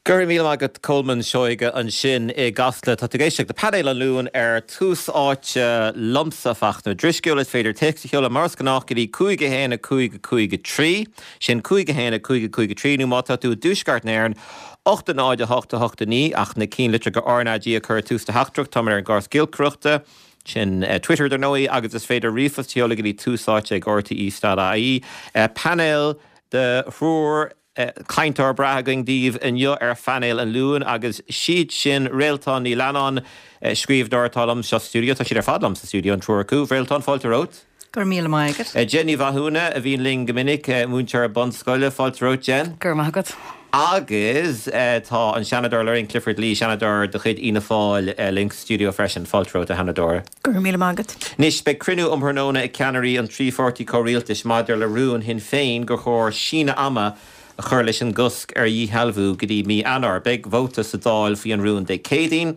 Go raibh míle maith agat Colman Seoige ansin i gCasla. Tá tú ag éisteacht le Painéal an Luain ar Tús Áite liomsa, Fachtna Ó Drisceoil. Is féidir téacs a sheoladh mar is gnách go dtí 5 1 5 5 3, sin 5 1 5 5 3, nó má tá tú i dTuaisceart na hÉireann, 8 0 8 8 9, ach na cinnlitreacha RnaG a chur i dtús do theachtaireacht. Táimid ar an gcóras giolcaireachta, sin Twitter dar ndóigh, agus is féidir ríomhphost a sheoladh go dtí túsáite ag rte.ie. Painéal de thriúr Cainteoir breá againn daoibh inniu ar Phainéal an Luain agus siad sin Réaltán Ní Leannáin, scríbhneoir atá liom sa stiúideo, tá siad ar fad liom sa stiúideo, an triúr acu. Réaltán, fáilte romhat. Go raibh míle maith agat. Jen Ní Mhathúna, a bhíonn linn go minic, múinteoir bunscoile, fáilte romhat Jen. Go raibh maith agat. Agus tá an Seanadóir Lorraine Clifford-Lee, Seanadóir de chuid Fhianna Fáil, linn sa stiúideo freisin. Fáilte romhat, a Sheanadóir. Go raibh míle maith agat. Anois, beidh cruinniú um thráthnóna ag ceannairí an trí pháirtí comhrialtais maidir le rún Shinn Féin gur chóir síneadh ama a chur leis an gcosc ar dhíshealbhú go dtí mí Eanáir. Beidh vóta sa Dáil faoi an rún Dé Céadaoin.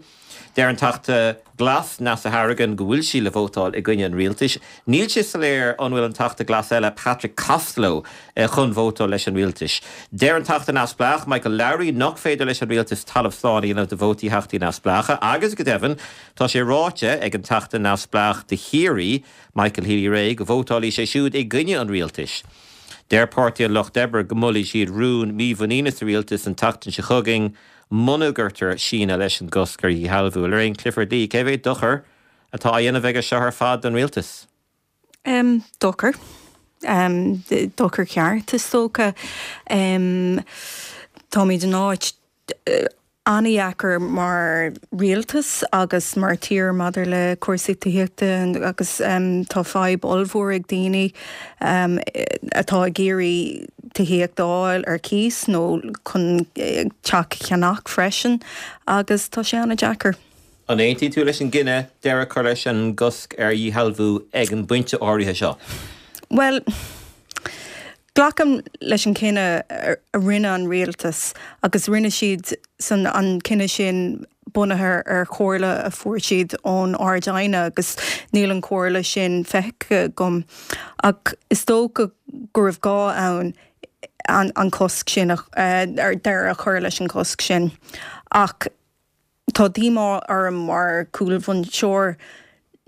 Deir an Teachta Glas, Neasa Hourigan, go bhfuil sí le vótáil i gcoinne an rialtais. Níl sé soiléir an bhfuil an Teachta Glas eile, Patrick Costello, chun vótáil leis an rialtas. Deir an Teachta Neamhspleách, Michael Lowry, nach féidir leis an rialtas talamh slán a dhéanamh de vótaí Theachtaí Neamhspleácha agus, go deimhin, Tá sé ráite ag an Teachta Neamhspleách do Chiarraí, Michael Healy-Rae, go vótálfaidh sé siúd i gcoinne an rialtais. Deir Páirtí an Lucht Oibre go molfaidh siad rún mímhuiníne sa rialtas an tseachtain seo chugainn muna gcuirtear síneadh leis an gcosc ar dhíshealbhú. Lorraine Clifford-Lee, cé mhéad dochar atá á dhéanamh aige seo ar fad don rialtas? Dochar. Dochar ceart, is dócha. Táimid in áit an-deacair mar rialtas agus mar tír maidir le cúrsaí tithíochta agus tá fadhb ollmhór ag daoine atá ag iarraidh tithíocht a fháil ar cíos nó chun teach a cheannach freisin agus tá sé an-deacair. An aontaíonn tú leis an gcinneadh deireadh a chur leis an gcosc ar dhíshealbhú ag an bpointe áirithe seo? Bhuel, Glacaim leis an chinneadh a rinne an rialtas agus rinne siad san an cinneadh sin bunaithe ar chomhairle a fuair siad ón Ard-Aighne agus níl an chomhairle sin feicthe agam. Ach is dócha go raibh gá ann an cosc sin, deireadh a chur leis an gcosc sin. Ach Tá díomá orm mar chúlbhinseoir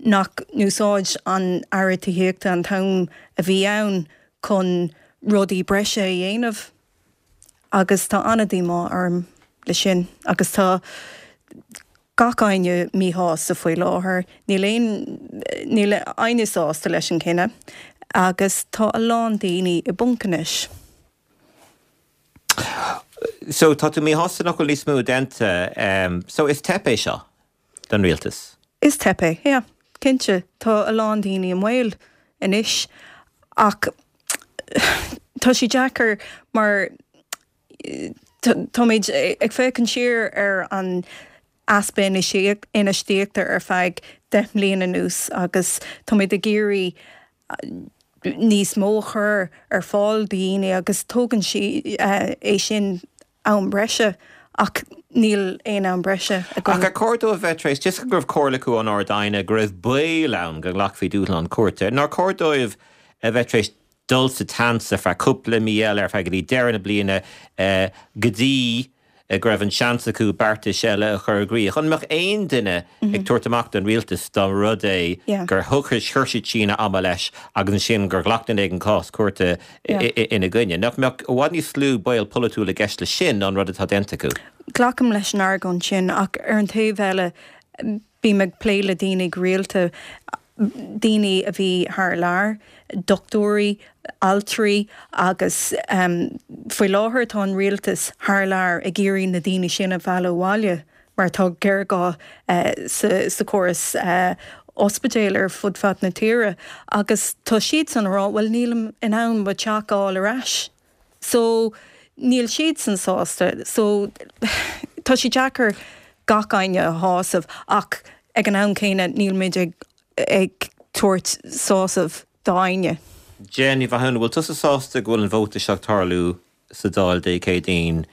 nach n-úsáid an Aire Tithíochta an t-am a bhí ann chun rudaí breise a dhéanamh agus tá an-díomá orm le sin agus tá gach éinne míshásta faoi láthair. Níl aon, níl éinne sásta leis an cinneadh agus tá a lán daoine i bponc anois. So, tá tú míshásta nach bhfuil níos mó déanta. So, is teip é seo don rialtas? Is teip é, yeah, cinnte. Tá a lán daoine i mbaol anois ach tá sé deacair mar táimid ag féachaint siar ar an easpa infheistíochta ar feadh 10 mbliana anuas agus táimid ag iarraidh níos mó a chur ar fáil do dhaoine agus tógann sé é sin am breise ach níl aon am breise againn. Ach ar chóir dóibh bheith tar éis, toisc go raibh comhairle acu ón Ard-Aighne go raibh baol ann go nglacfaí dúshlán cúirte, nár chóir dóibh a bheith tar éis dul sa tseans ar feadh cúpla mí eile, ar feadh go dtí deireadh na bliana, go dtí go raibh an seans acu beartais eile a chur i gcrích. An mbeadh aon duine ag tabhairt amach don rialtas dá mba rud é gur chuir siad síneadh ama leis agus ansin gur ghlac duine éigin cás cúirte ina gcoinne? Nach mbeadh i bhfad níos lú baol polaitiúil i gceist leis sin ná an rud atá déanta acu? Glacaim leis an argóint sin ach ar an taobh eile bím ag plé le daoine go rialta, daoine a bhí thar lear, dochtúirí, altraí agus faoi láthair tá an rialtas thar lear ag iarraidh na daoine sin a mhealladh abhaile mar tá géarghá sa chóras ospidéil ar fud fad na tíre agus tá siadsan ag rá bhuel nílim in ann mo theach a fháil ar ais. So níl siadsan sásta. So tá sé deacair gach éinne a shásamh ach ag an am céanna nílimid ag ag tabhairt sásamh d'éinne. Jen Ní Mhathúna, bhfuil tusa sásta go bhfuil an vóta seo ag tarlú sa Dáil Dé Céadaoin,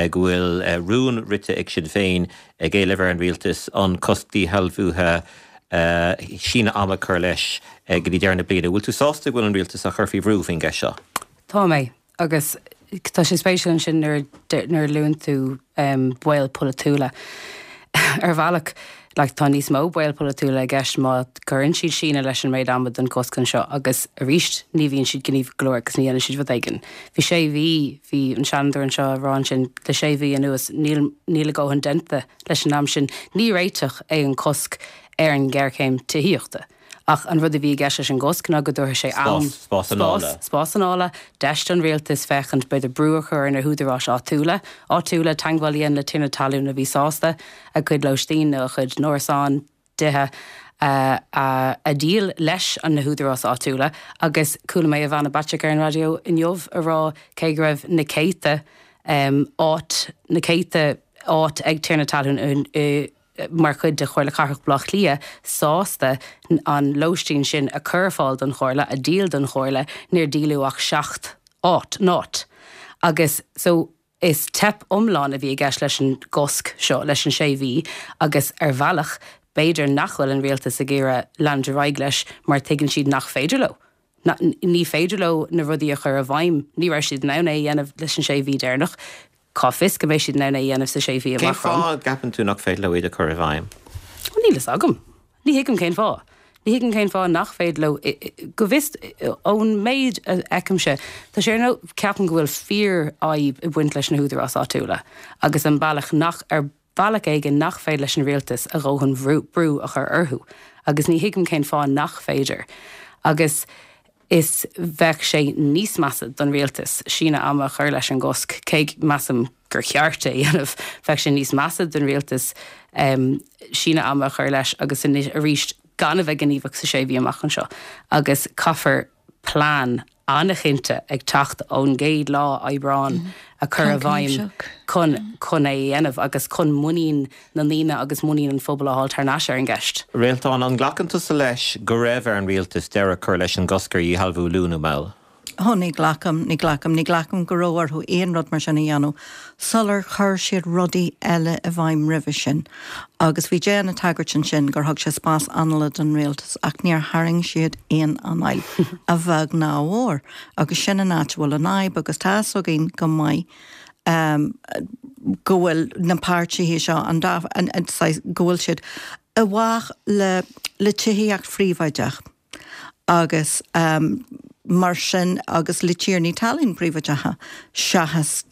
go bhfuil rún rite ag Sinn Féin ag éileamh ar an rialtas an cosc díshealbhuithe síneadh ama a chur leis go dtí deireadh na bliana? Bhfuil tú sásta go bhfuil an rialtas á chur faoi bhrú faoin gceist seo? Tá mé, agus. Tá sé spéisiúil ansin nuair nuair a luann tú baol polaitiúla. Ar bhealach, like, tá níos mó baol polaitiúla i gceist má chuireann siad síneadh leis an méid ama don chosc anseo agus arís ní bhíonn siad gníomhach go leor agus ní dhéanann siad rud éigin. Bhí sé mhí, bhí an Seanadóir anseo ag rá ansin, le sé mhí anuas níl níl a dhóthain déanta leis an am sin. Ní réiteach é an cosc ar an ngéarchéim tithíochta. Ach an rud a bhí i gceist leis an gcosc ná go dtabharfadh sé am, Spás, spás anála. spás anála, deis don rialtas féachaint, b'fhéidir brú a chur ar na húdaráis áitiúla, áitiúla, teagmháil a dhéanamh le tiarnaí talún a bhí sásta a gcuid lóistín nó a gcuid n-árasán, dtithe, a, a, a dhíol leis an na húdaráis áitiúla. Agus chuala mé Ivana Bacik ar an raidió inniu a rá cé go raibh na céadta áit, na céadta áit ag tiarnaí talún i, mar chuid de Chomhairle Cathrach Bhaile Átha Cliath, sásta an lóistín sin a chur ar fáil don Chomhairle, a dhíol don Chomhairle, níor díoladh ach 7 áit, n-áit. Agus so is teip iomlán a bhí i gceist leis an gcosc seo, leis an sé mhí, agus ar bhealach, b'fhéidir nach bhfuil an rialtas ag iarraidh leanúint ar aghaidh leis mar tuigeann siad nach féidir leo. Ní féidir leo na rudaí a chur i bhfeidhm. Ní raibh siad in ann é a dhéanamh leis an sé mhí deireanach. Cá bhfios go mbeidh siad in ann é a dhéanamh sa sé mhí Cén amach romhainn? fáth a gceapann tú nach féidir leo iad a chur i bhfeidhm? Níl fhios agam. Ní thuigim cén fáth. Ní thuigim cén fáth nach féidir leo. Go bhfios, ón méid a fheicimse, tá sé ar nós, ceapaim go bhfuil fíorfhadhb ag baint leis na húdaráis áitiúla agus an bealach nach, ar bhealach éigin nach féidir leis an rialtas a dhóthain brú a chur orthu agus ní thuigim cén fáth nach féidir agus is bheadh sé níos measa don rialtas síneadh ama a chur leis an gcosc, cé measaim gur cheart é a dhéanamh, bheadh sé níos measa don rialtas síneadh ama a chur leis agus arís gan a bheith gníomhach sa sé mhí amach anseo agus caithfear plean an-chinnte ag teacht ón gcéad lá Aibreán a chur i bhfeidhm chun chun é a dhéanamh agus chun muinín na ndaoine agus muinín an phobail a fháil thar n-ais ar an gceist. Réaltán, an nglacann tusa leis go raibh ar an rialtas deireadh a chur leis an gcosc ar dhíshealbhú luath nó mall? Ó, ní ghlacaim, ní ghlacaim, ní ghlacaim go raibh orthu aon rud mar sin a dhéanamh sular chuir siad rudaí eile i bhfeidhm roimhe sin. Agus bhí Jen ag tagairt ansin gur thug sé spás anála don rialtas ach níor tharraing siad aon anáil, a bheag ná a mhór. Agus sin an áit a bhfuil an fhadhb agus tá fhios againn go maith go bhfuil na páirtithe seo, an dá, an, an, saghas, go bhfuil siad i bhfách le, le tithíocht phríobháideach agus mar sin agus le tiarnaí talún príobháideacha seachas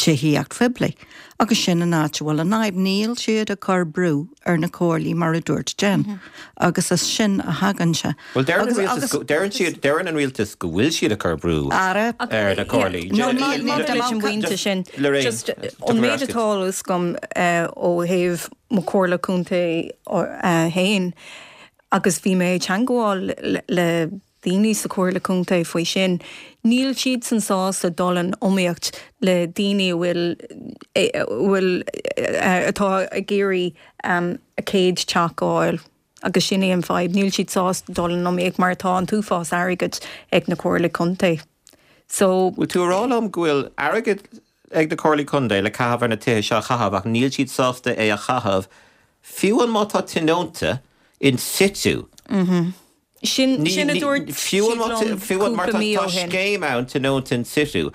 tithíocht phoiblí. Agus sin an áit a bhfuil an fhadhb. Níl siad ag cur brú ar na comhairlí mar a dúirt Jen. Agus as sin a thagann sé. Bhuel, deireann an rialtas go, deireann siad, deireann an rialtas go bhfuil siad ag cur brú ar na comhairlí. No, maidir leis an bpointe sin, just an méid atá a fhios agam ó thaobh mo chomhairle contae féin, agus bhí mé ag teangmháil le daoine sa Chomhairle Contae faoi sin. Níl siadsan sásta dul in iomaíocht le daoine a bhfuil, a bhfuil, atá ag iarraidh a céad teach a fháil agus sin é an fadhb. Níl siad sásta dul in iomaíocht mar tá an t-uafás airgid ag na Comhairlí Contae. So. Bhfuil tú a rá liom go bhfuil airgead ag na Comhairlí Contae le caitheamh ar na tithe seo a chaitheamh ach níl siad sásta é a chaitheamh fiú an má tá tionónta in situ? Sin sin a dúirt siad liom cúpla mí ó shin. Tá scéim ann tionónta in situ.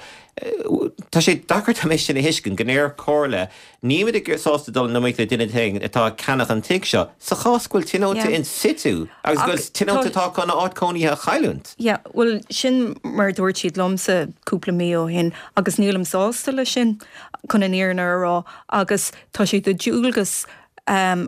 Tá sé deacair dom é sin a thuiscint, go ndeir comhairle, nílimid ag sásta dul in iomaíocht le duine éigin atá ag ceannach an tigh seo, sa chás go bhfuil tionónta in situ agus go bhfuil tionónta atá chun a áit cónaithe a chailliúint. Yeah, bhuel sin mar a dúirt siad liomsa cúpla mí ó shin agus nílim sásta leis sin, chun an fhírinne a rá, agus tá sé de dhualgas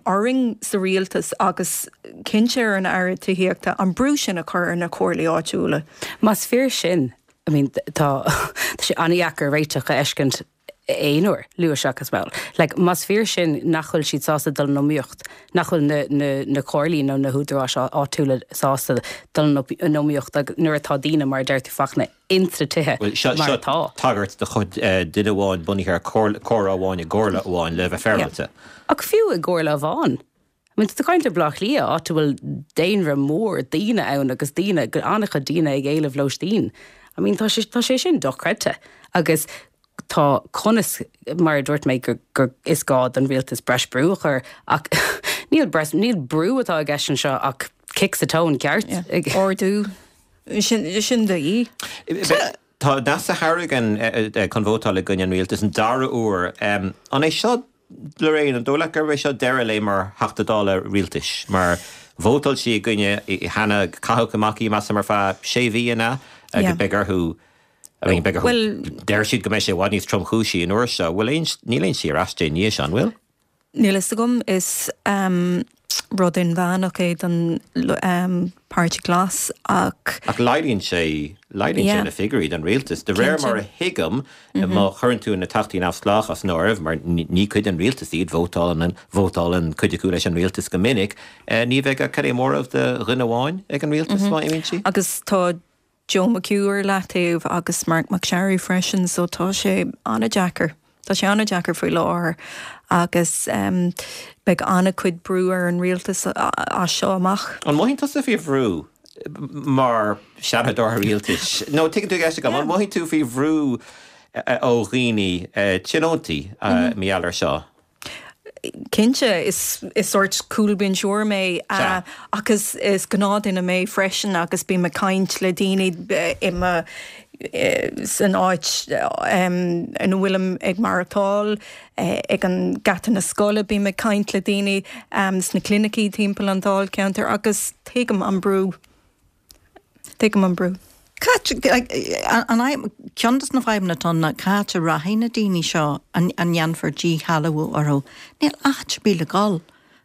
orainn sa rialtas agus cinnte ar an Aire Tithíochta an brú sin a chur ar na comhairlí áitiúla. Más fíor sin, I mean tá tá sé an-dheacair réiteach a fheiscint aon uair, luath seachas mall. Like más fíor sin nach bhfuil siad sásta dul in iomaíocht, nach bhfuil na na na comhairlí nó na húdaráis áitiúla sásta dul in iomaíocht agus nuair atá daoine mar a deir tú Fachtna ins na tithe Bhuel, seo, mar seo atá. tagairt de chuid duine amháin bunaithe ar comhrá amháin i gcomhairle amháin le bheith féaráilte. Ach fiú i gcomhairle amháin. I mean, tá tú ag caint ar Bhaile Átha Cliath, áit a bhfuil daonra mór daoine ann agus daoine, an-chuid daoine ag éileamh lóistín. I mean, tá sé, tá sé sin dochreidte. Agus tá conas, mar a dúirt mé, gur, gur, is gá don rialtas breis brú a chur ach níl breis, níl brú atá i gceist anseo ach cic sa tóin ceart. Ordú. Sin, sin de dhíth. Tá Neasa Hourigan chun vótáil i gcoinne an rialtais an dara huair. An é seo, Lorraine, an dóigh leat gurb é seo deireadh léi mar Theachta Dála rialtais? Mar vótáil sí i gcoinne cheana, caitheadh amach í, measaim, ar feadh sé mhí, an ea? Agus beidh orthu, I mean, beidh orthu, deir siad go mbeidh sé i bhfad níos tromchúisí an uair seo. Bhfuil aon, níl aon slí ar ais di i ndiaidh seo, an bhfuil? Níl fhios agam. Is rud inmheánach é don Páirtí Glas ach. Ach laghdaíonn sé, laghdaíonn sé na figiúirí don rialtas. De réir mar a thuigim, má chuireann tú na Teachtaí Neamhspleácha as an áireamh, mar ní cuid den rialtas iad, vótálann, vótálann cuid acu leis an rialtas go minic, ní bheidh ach cad é móramh de dhuine amháin ag an rialtas má imíonn sí. Agus tá Joe McHugh ar leataobh agus Marc MacSharry freisin so tá sé an-deacair. Tá sé an-deacair faoi láthair agus beidh an-chuid brú ar an rialtas as seo amach. An mothaíonn tusa faoi bhrú mar Sheanadóir rialtais? Nó tuigeann tú an cheist agam, an mothaíonn tú faoi bhrú ó dhaoine, tionóntaí, mar gheall air seo? Cinnte, is sórt cúlbhinseoir mé ach is gnáthdhuine mé freisin agus bím ag caint le daoine i mo, san áit ina bhfuilim ag maireachtáil, ag an geata na scoile bím ag caint le daoine sna clinicí timpeall an dáilcheantair agus tuigim an brú. Tuigim an brú. Cá an fhadhb, ceann de na fadhbanna atá ann ná cá háit a rachaidh na daoine seo a ndéanfar díshealbhú orthu. Níl áit ar bith le dhul.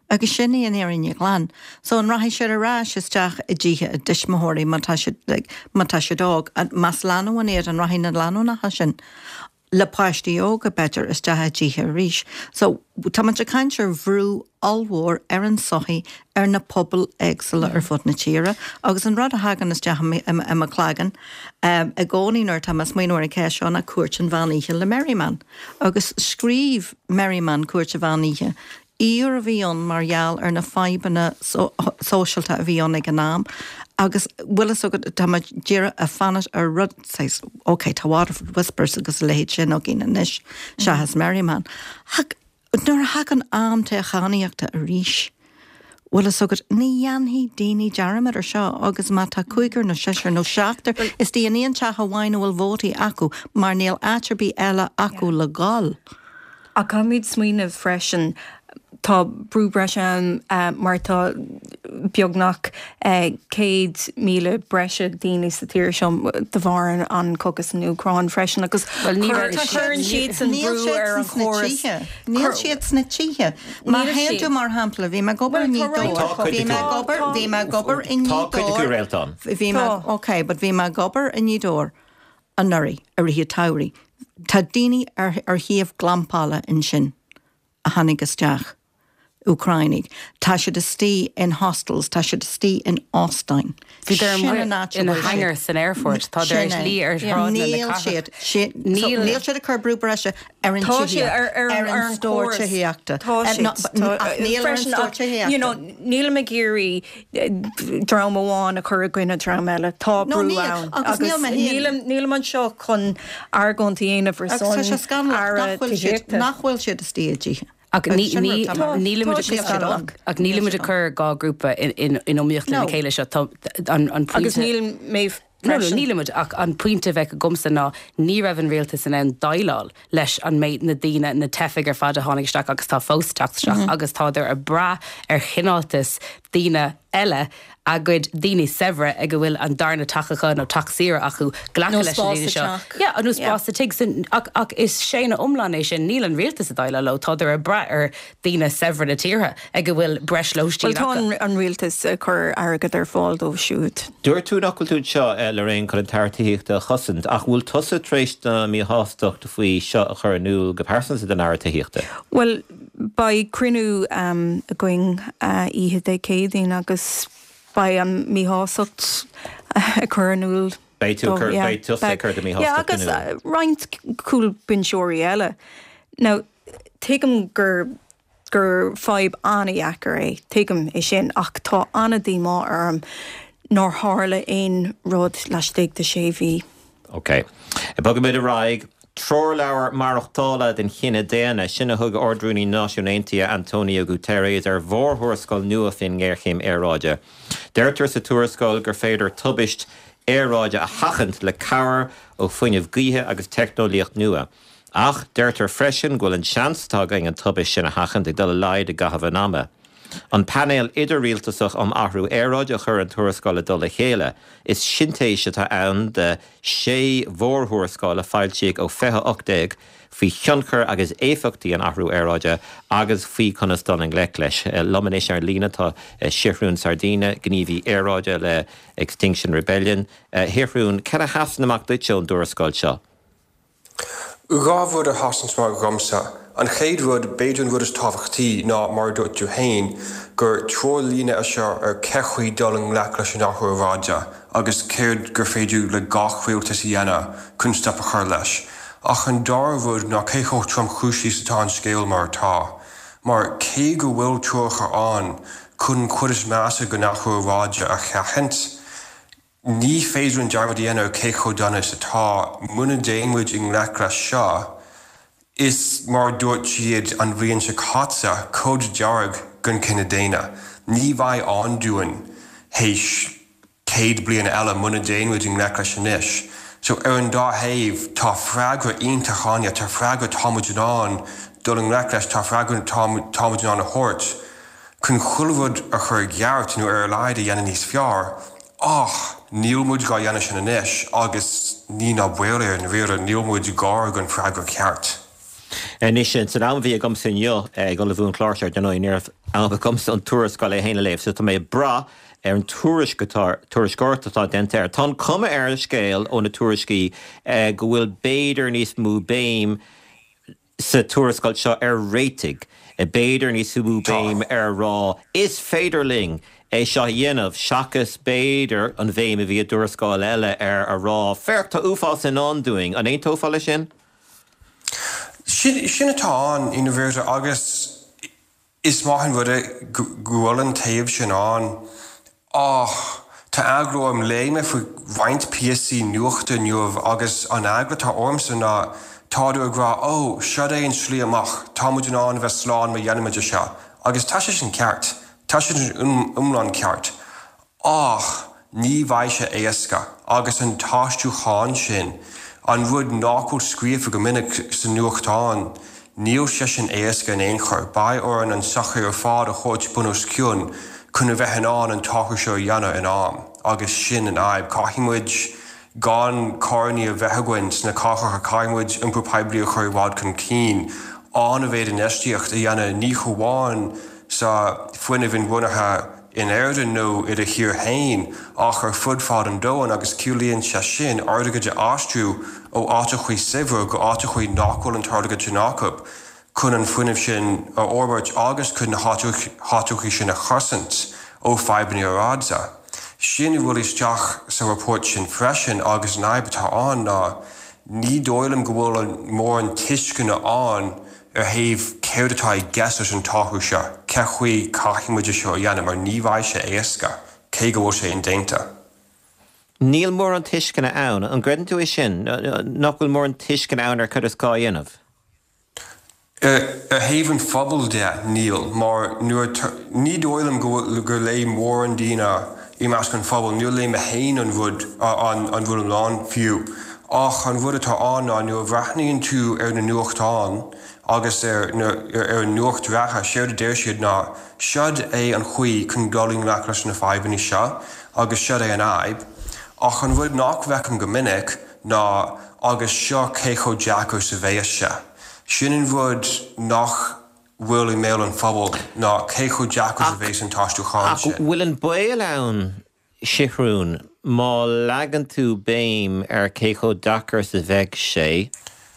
Agus sin í an fhírinne ghlan. So an rachaidh siad ar ais isteach i dtithe a dtuismitheoirí má tá siad, like, má tá siad óg? Más lánúin iad, an rachaidh na lánúineacha sin? le páistí óga, b'fhéidir, isteach i dtithe arís. So, tá muid ag caint ar bhrú ollmhór ar an tsochaí, ar na pobail éagsúla ar fud na tíre agus an rud a thagann isteach i mo chloigeann i gcónaí nuair atá mé ag smaoineamh ar an cheist seo ná Cúirt an Mheán Oíche le Merriman. Agus scríobh Merriman Cúirt an Mheán Oíche Aoir a bhí ann mar gheall ar na fadhbanna sóisialta a bhí ann ag an am agus bhfuil fhios agat, tá muid díreach ag fanacht ar rud saghas, ok, tá Waterford Whispers agus a leithéid sin againn anois seachas Merriman. Ach nuair a thagann am toghchánaíochta arís, bhfuil fhios agat, ní dhéanfaidh daoine dearmad ar seo agus má tá cúigear nó seisear nó seachtar istigh in aon teach amháin a bhfuil vótaí acu mar níl áit ar bith eile acu le dhul. Ach caithfimid smaoineamh freisin, tá brú breise ann mar tá beagnach 100,000 breise daoine sa tír seo de bharr an cogadh san Úcráin freisin agus cuireann siadsan brú ar an chóras. Níl siad sna tithe. Má théann tú, mar shampla, bhí mé ag obair i nGaoth Dobhair, bhí mé ag obair, bhí mé ag obair i nGaoth Dobhair, bhí mé, ok, but bhí mé ag obair i nGaoth Dobhair anuraidh, i rith an tsamhraidh. Tá daoine ar ar thaobh glampála ansin a tháinig isteach, Úcránaigh. Tá siad istigh in hostels, tá siad istigh in óstáin. Bhíodar Sin an áit a ina bhfuil siad. hangar san aerfort. Tá Sin tar éis é. luí ar shráideanna na Níl cathrach. siad, si- so Níl. níl siad ag cur brú breise ar an Tá siad tithíocht, ar ar ar an an stór chóras. tithíochta. Tá Eh, siad. no, but Tá, ach níl ar an freisin stór ach you know, tithíochta. nílim ag iarraidh dream amháin a chur i gcoinne dream eile. Tá brú ann agus nílim anseo chun argóint a dhéanamh ar son Aire Tithíochta. Nach bhfuil siad istigh i dtithe. Ach nílimid ag cur 2 grúpa in iomaíocht lena chéile seo. Tá an pointe. Agus níl mé freisin. Nílimid, ach an pointe a bheadh agamsa ná ní raibh an rialtas in ann déileáil leis an méid, na daoine, na teifigh ar fad a tháinig isteach agus tá fós ag teacht isteach agus tádar ag brath ar chineáltas daoine eile, a gcuid daoine saibhre ag a bhfuil an darna teach acu nó teach saoire acu, glacadh leis na daoine seo. Yeah, nó spás sa tigh. So, ach, ach is séanadh iomlán é sin. Níl an rialtas ag déileáil leo. Tádar ag brath ar daoine saibhre na tíortha ag a bhfuil breis lóistín acu. Bhuel, tá an rialtas ag cur airgead ar fáil dóibh siúd. Dúirt tú nach bhfuil tú anseo, Lorraine, chun an tAire Tithíochta a chosaint, ach bhfuil tusa tar éis do mhíshástacht faoi seo a chur in iúl go pearsanta don Aire Tithíochta? Bhuel, beidh cruinniú againn oíche Dé Céadaoin agus beidh an mhíshástacht á cur in iúl. Beidh tú ag cur, beidh tusa ag cur do mhíshástacht in iúl. Yeah, agus roinnt cúlbhinseoirí eile. Now, tuigim gur gur fadhb an-dheacair é, tuigim é sin, ach tá an-díomá orm nár tharla aon rud laistigh de sé mhí. Ok. Bogfaimid ar aghaidh. Treoirleabhar maireachtála don chine daonna, sin a thug Ard-Rúnaí na Náisiún Aontaithe António Guterres ar mhórthuarascáil nua faoin ngéarchéim aeráide. Deirtear sa tuarascáil gur féidir tubaist. aeráide a sheachaint le cabhair ó fuinneamh gaoithe agus teicneolaíocht nua. Ach deirtear freisin go bhfuil an seans atá againn an tubaist sin a sheachaint ag dul i laghad i gcaitheamh an ama. An Painéal Idir-Rialtasach um Athrú Aeráide a chuir an tuarascáil i dtoll a chéile. Is sintéis atá ann de shé mhórthuarascáil a foilsíodh ó 2018 faoi thionchar agus éifeachtaí an athrú aeráide agus faoi conas dul i ngleic leis. Liom anois ar líne tá Seathrún Sardina, gníomhaí aeráide le Extinction Rebellion. A Sheathrúin, cad a sheasann amach duitse ón dtuarascáil seo? 2 rud a sheasann amach dhomsa. An chéad rud, b'fhéidir an rud is tábhachtaí, ná, mar a dúirt tú féin, gur treoirlíne é seo ar cé chaoi dul i ngleic leis an athrú aeráide agus céard gur féidir le gach rialtas a dhéanamh chun stop a chur leis. Ach an dara rud ná cé chomh tromchúisí is atá an scéal mar atá. Mar cé go bhfuil treoracha ann chun an chuid is measa den athrú aeráide a sheachaint, Ní féidir linn dearmad a dhéanamh ar cé chomh dona is atá. Muna dtéann muid i ngleic leis seo, is mar a dúirt siad an bhliain seo caite, cód dearg don chine daonna. Ní bheidh ann dúinn théis 100 bliain eile muna dtéann muid i ngleic leis anois. So ar an dá thaobh, tá freagra iontach ann, tá freagra tá muid in ann dul i ngleic leis, tá freagra tá muid in ann a thabhairt. chun chuile rud a chur i gceart nó ar a laghad a dhéanamh níos fearr, ach níl muid dhá dhéanamh sin anois agus ní ná baol air, i ndáiríre, níl muid gar don freagra ceart. Anois, san am a bhí agamsa inniu ag ullmhú an chláir seo, ar ndóigh, ní raibh am agamsa an tuarascáil é féin a léamh, so tá mé ag brath ar an tuairisc atá, tuairisceoireacht atá déanta air. Tá an cuma ar an scéal ó na tuairiscí go bhfuil b'fhéidir níos mó béim sa tuarascáil seo ar réitigh, b'fhéidir níos mó béim ar rá 'is féidir linn é seo a dhéanamh' seachas b'fhéidir an bhéim a bhí i dtuarascáil eile ar a rá 'féach tá uafás i ndán dúinn'. An aontófá leis sin? Sin sin atá ann i ndáiríre agus Is maith an rud é go bhfuil an taobh sin ann, ach tá eagla orm, léigh mé faoi roinnt píosaí nuachta inniu agus an eagla atá ormsa ná tádar ag rá 'ó, seod é an slí amach, tá muid in ann a bheith slán má dhéanaimid é seo' agus tá sé sin ceart, tá sé sin iomlán ceart. Ach ní bheidh sé éasca, agus an t-aistriúchán sin, an rud nach bhfuil scríofa go minic sa nuachtán, níl sé sin éasca in aon chor. Beidh orainn an tsochaí ar fad a thabhairt bun os cionn chun a bheith in ann an t-athrú seo a dhéanamh in am, agus sin an fhadhb. Caithfidh muid gan carrannaí a bheith againn sna cathracha, caithfidh muid iompar poiblí a chur i bhfad chun cinn, an-mhéid infheistíocht a dhéanamh ní hamháin sa fuinneamh inbhuanaithe, in Éirinn nó i do thír féin ach ar fud fad an domhain agus ciallaíonn sé sin airgead a aistriú ó áiteachaí saibhre go áiteachaí nach bhfuil an t-airgead sin acu chun an fuinneamh sin a fhorbairt agus chun na háiteachaí sin a chosaint ó fadhbanna aeráide. Sin a bhfuil isteach sa report sin freisin agus an fhadhb atá ann ná ní dóigh liom go bhfuil mórán tuisceana ann ar thaobh céard atá i gceist leis an t-athrú seo, cé chaoi caithfidh muid é seo a dhéanamh mar ní bheidh sé éasca, cé go bhfuil sé indéanta. Níl mórán tuisceana ann. An gcreideann tú é sin, nach bhfuil mórán tuisceana ann ar cad is gá a dhéanamh? Ar thaobh an phobail de, níl, mar nuair, ní dóigh liom go bhfuil, gur léigh mórán daoine i measc an phobail, níor léigh mé féin an rud, an rud iomlán fiú. Ach an rud atá ann ná nuair a bhreathnaíonn tú ar na nuachtáin agus ar na ar an nuacht reatha, séard a deir siad ná seod é an chaoi chun dul i ngleic leis na fadhbanna seo agus seod é an fhadhb. Ach an rud nach bhfeicim go minic ná agus seo cé chomh deacair is a bheas sé. Sin an rud nach bhfuil i mbéal an phobail ná cé chomh deacair is a bheas an t-aistriúchán sin. Ach bhfuil an baol ann Seathrún, má leagann tú béim ar cé chomh deacair is a bheidh sé,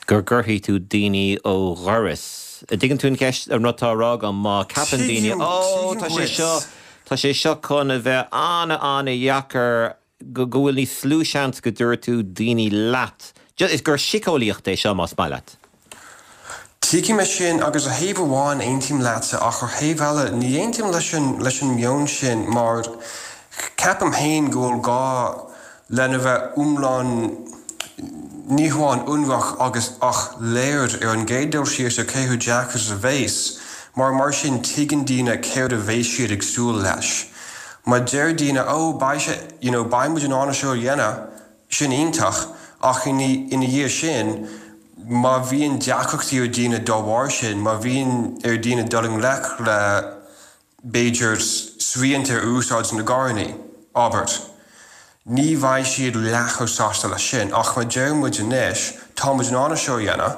go gcuirfidh tú daoine ó dhoras. An dtuigeann tú an cheist, an rud atá á rá agam, má ceapann daoine, ó, tá sé seo, tá sé seo chun a bheith an-an-dheacair, go bhfuil níos lú seans go dtabharfaidh tú daoine leat. Is gur síceolaíocht é seo, más maith leat. Tuigim é sin agus ar thaobh amháin aontaím leatsa ach ar thaobh eile ní aontaím leis an leis an meon sin mar ceapaim féin go bhfuil gá lena bheith iomlán ní hamháin ionraic agus ach léir ar an gcéad dul síos ar cé chomh deacair is a bheas mar mar sin tuigeann daoine céard a bheas siad ag súil leis. Má deir daoine oh beidh sé, you know, beidh muid in ann é seo a dhéanamh, sin iontach, ach ina dhiaidh sin, má bhíonn deacrachtaí ar daoine dá bharr sin, má bhíonn ar daoine dul i ngleic le, b'fhéidir, srianta ar úsáid na gcarrannaí, abair. Ní bheidh siad leath chomh sásta leis sin. Ach má deir muid anois, tá muid in ann é seo a dhéanamh,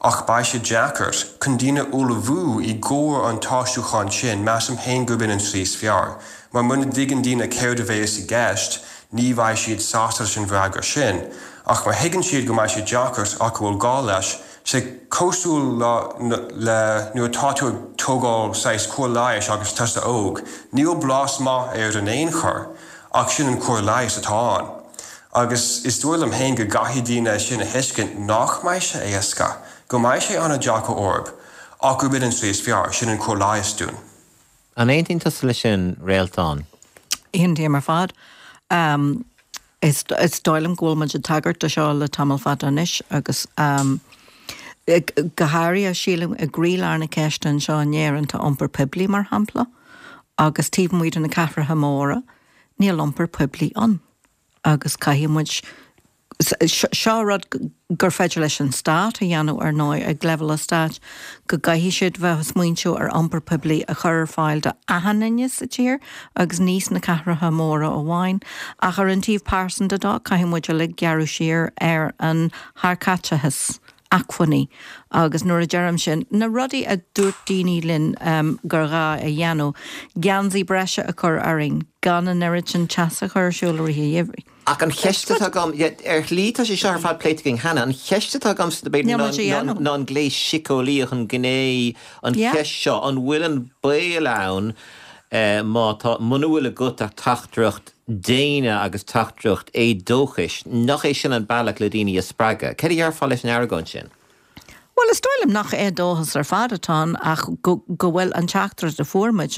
ach beidh sé deacair, chun daoine a ullmhú i gcomhair an t-aistriúchán sin, measaim féin gurb in an tslí is fearr. Mar muna dtuigeann daoine céard a bheas i gceist, ní bheidh siad sásta leis an bhfreagra sin. Ach má thuigeann siad go mbeidh sé deacair ach go bhfuil gá leis, sé cosúil le le nuair atá tú ag tógáil saghas cóir leighis agus tusa óg, níl blas maith air in aon chor. Ach sin an cóir leighis atá ann. Agus is dóigh liom féin go gcaithfidh daoine sin a thuiscint nach mbeidh sé éasca, go mbeidh sé an-deacair orthu, ach gurb in an tslí is fearr, sin an cóir leighis dúinn. An aontaíonn tusa leis sin, Réaltán? Aontaím ar fad. Is dóigh liom go bhfuil muid ag tagairt do seo le tamall fada anois agus go háirithe, sílim, i gcroílár na ceiste anseo in Éirinn tá iompar poiblí, mar shampla. Agus taobh amuigh de na cathracha móra, níl iompar poiblí ann. Agus caithfidh muid, seo rud gur féidir leis an stát a dhéanamh ar ndóigh, ag leibhéal an stáit, go gcaithfidh siad bheith ag smaointiú ar iompar poiblí a chur ar fáil do achan duine sa tír agus ní sna cathracha móra amháin. Ach ar an taobh pearsanta dó, caithfidh muid uilig gearradh siar ar an sárchaiteachas. acmhainní. Agus nuair a deirim sin, na rudaí a dúirt daoine linn gur ghá a dhéanamh, geansaí breise a chur orainn, gan an oiread sin teasa a chur ar siúl i rith an gheimhridh. Ach an cheist atá agam, ar shlí tá sé seo ar fad pléite againn cheana, an cheist atá agamsa b'fhéidir ná an gléas síceolaíoch, an ghné, an cheist seo, an bhfuil an baol ann má tá, muna bhfuil agat ach teachtaireacht déine agus teachtaireacht éadóchais, nach é sin an bealach le daoine a spreagadh? Céard a dhéarfá leis an argóint sin? Bhuel, is dóigh liom nach éadóchas ar fad atá ann ach go bhfuil an teachtaireacht a fuair muid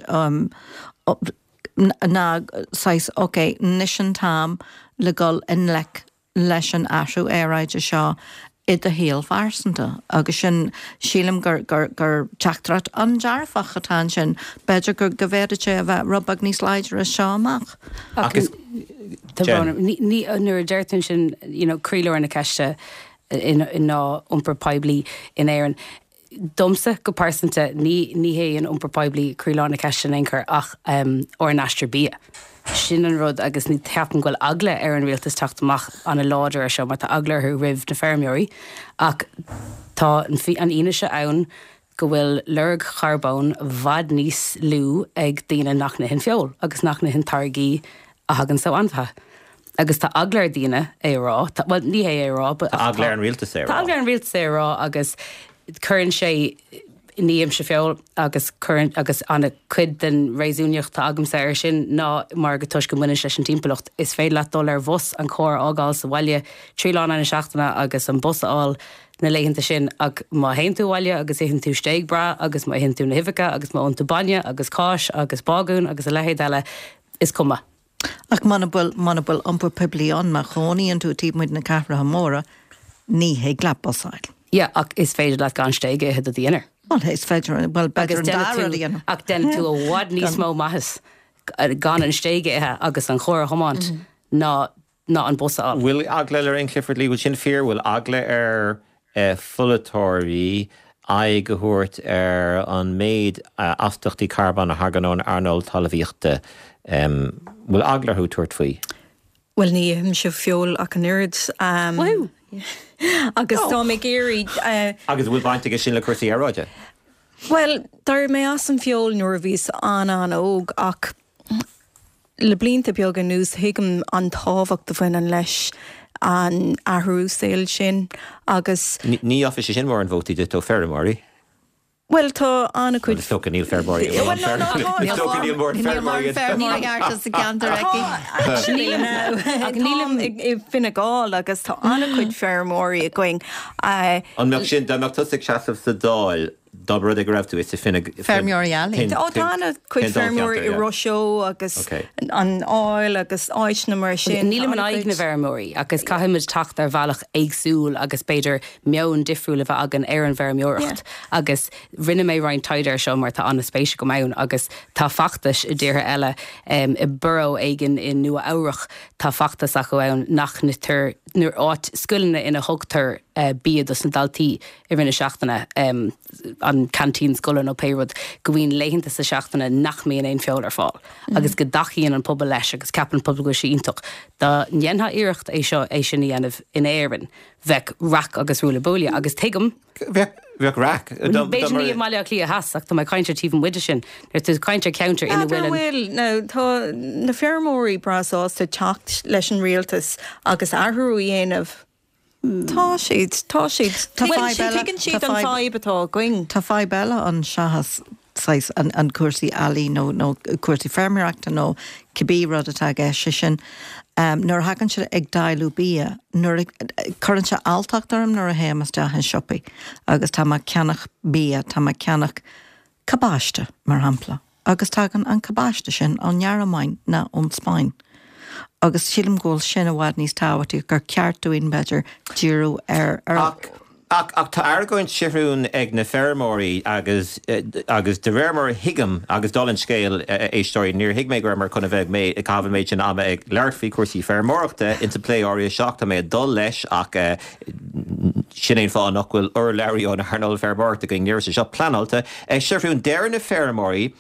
ná saghas, ok, anois an t-am le dhul i ngleic leis an athrú aeráide seo i do shaol phearsanta agus sin, sílim gur, gur, gur teachtaireacht an-dearfach atá ansin. B'fhéidir go, go bhféadfadh sé a bheith rud beag níos láidre as seo amach. Ach is, Tá brón orm. Ní, ní, nuair a deir tú ansin, you know, croílár na ceiste ná iompar poiblí in Éirinn. Domsa, go pearsanta, ní ní hé an iompar poiblí croílár na ceiste in aon chor ach ár n-aistear bia. Sin an rud agus ní cheapaim go bhfuil eagla ar an rialtas teacht amach an-láidir ar seo mar tá eagla orthu roimh na feirmeoirí ach tá an fhianaise ann go bhfuil lorg charbóin i bhfad níos lú ag daoine nach n-itheann feoil agus nach n-itheann táirgí a thagann ó ainmhithe. Agus tá eagla ar daoine é a rá, tá, bhuel, ní hé é a rá, but Tá eagla ar an rialtas é a rá. Tá eagla ar an rialtas é a rá agus cuireann sé, ní ithimse feoil agus cuireann, agus ana cuid den réasúnaíocht atá agamsa ar sin ná mar go toisc go mbaineann sé leis an timpeallacht. Is féidir leat dul ar bhus, an carr a fhágáil sa bhaile 3 lá in aghaidh na seachtaine agus an bus a fháil na laethanta sin ach má théann tú abhaile agus itheann tú stéig breá agus má itheann tú na huibheacha agus má ólann tú bainne agus cáis agus bágún agus a leithéid eile, is cuma. Ach muna bhfuil, muna bhfuil iompar poiblí ann, má chónaíonn tú taobh amuigh de na cathracha móra, ní thig leat bus a fháil. Yeah, ach is féidir leat gan stéig a ithe do dhinnéar. Bhuel, is féidir, bhuel, b'fhéidir an dá rud a dhéanamh. Ach déanann tú i bhfad níos mó maitheas gan an stéig a ithe agus an charr a thiomáint ná ná an bus a fháil. Bhfuil eagla, Lorraine Clifford-Lee, bhfuil sin fíor, bhfuil eagla ar pholaiteoirí aghaidh a thabhairt ar an méid astaíochtaí carbóin a thagann ón earnáil talmhaíochta? Bhfuil eagla orthu tabhairt faoi? Bhuel, ní ithimse feoil ach an oiread. Woohoo! Agus táim ag iarraidh. Agus an bhfuil baint aige sin le cúrsaí aeráide? Bhuel, d'éirigh mé as an feoil nuair a bhíos an-an-óg ach Le blianta beaga anuas, thuigim an tábhacht a bhaineann leis an athrú saoil sin agus. Ní fhágfaidh sé sin mórán vótaí duit ó feirmeoirí. Bhuel, tá an-chuid. Bhuel, is dócha níl feirmeoirí. Bhuel, no, no, tá. Is dócha níl mórán feirmeoirí. Níl ceart sa gceantar aici. Actually, ach nílim i bhFine Gall agus tá an-chuid feirmeoirí againn. An mbeadh sin, dá mbeadh tusa ag seasamh sa Dáil? Dá mba rud é go raibh tú, is i Fine Feirmeoirí eallaí. Tá an-chuid feirmeoirí i Ros Eo agus an Fháil agus áiteanna mar sin. Nílim in aghaidh na bhfeirmeoirí agus caithfimid teacht ar bhealach éagsúil agus b'fhéidir meon difriúil a bheith againn ar an bhfeirmeoireacht agus rinne mé roinnt taighde ar seo mar tá an-spéis agam ann agus tá feachtais i dtíortha eile, i borough éigin i Nua Eabhrach tá feachtas acu ann nach n-itear, nó áit, scoileanna ina thugtar bia dos na daltaí i rith na seachtaine, an canteen scoile nó pé rud, go mbíonn laethanta sa seachtaine nach mbíonn aon feoil ar fáil agus go dtacaíonn an pobal leis agus ceapann an pobal go bhfuil sé iontach. Dá ndéanfá iarracht é seo, é sin a dhéanamh in Éirinn, bheadh raic agus ruaille buaille agus tuigim. Bheadh, bheadh raic. B'fhéidir ní i mBaile Átha Cliath Theas ach tá mé ag caint ar taobh amuigh de sin. Nuair atá tú ag caint ar cheantar ina bhfuil an. Bhfuil, nó tá na feirmeoirí breá sásta teacht leis an rialtas agus athrú a dhéanamh. Tá siad, tá siad. Tá fadhb eile, Tuigeann siad an fadhb atá againn. Tá fadhb eile ann seachas saghas an cúrsaí eallaí nó nó cúrsaí feirmeoireachta nó cibé rud atá i gceist, sé sin nuair a thagann sé ag dáileadh bia, nuair a, cuireann sé alltacht orm nuair a théim isteach in siopaí agus tá mé ag ceannach bia, tá mé ag ceannach cabáiste, mar shampla. Agus tagann an cabáiste sin ón nGearmáin ná ón Spáinn. Agus sílim go bhfuil sin i bhfad níos tábhachtaí, gur ceart dúinn, b'fhéidir, díriú ar. Ach, ach, ach tá argóint Seathrún ag na feirmeoirí agus, agus de réir mar a thuigim, agus dála an scéil, a éisteoirí, níor thuig mé go rabhamar chun a bheith ag, ag caitheamh an méid sin ama ag labhairt faoi chúrsaí feirmeoireachta insa bplé áirithe seo ach tá mé ag dul leis ach sin é an fáth nach bhfuil urlabhraí ón earnáil feirmeoireachta againn, ní raibh sé seo pleanáilte. Seathrún, deir na feirmeoirí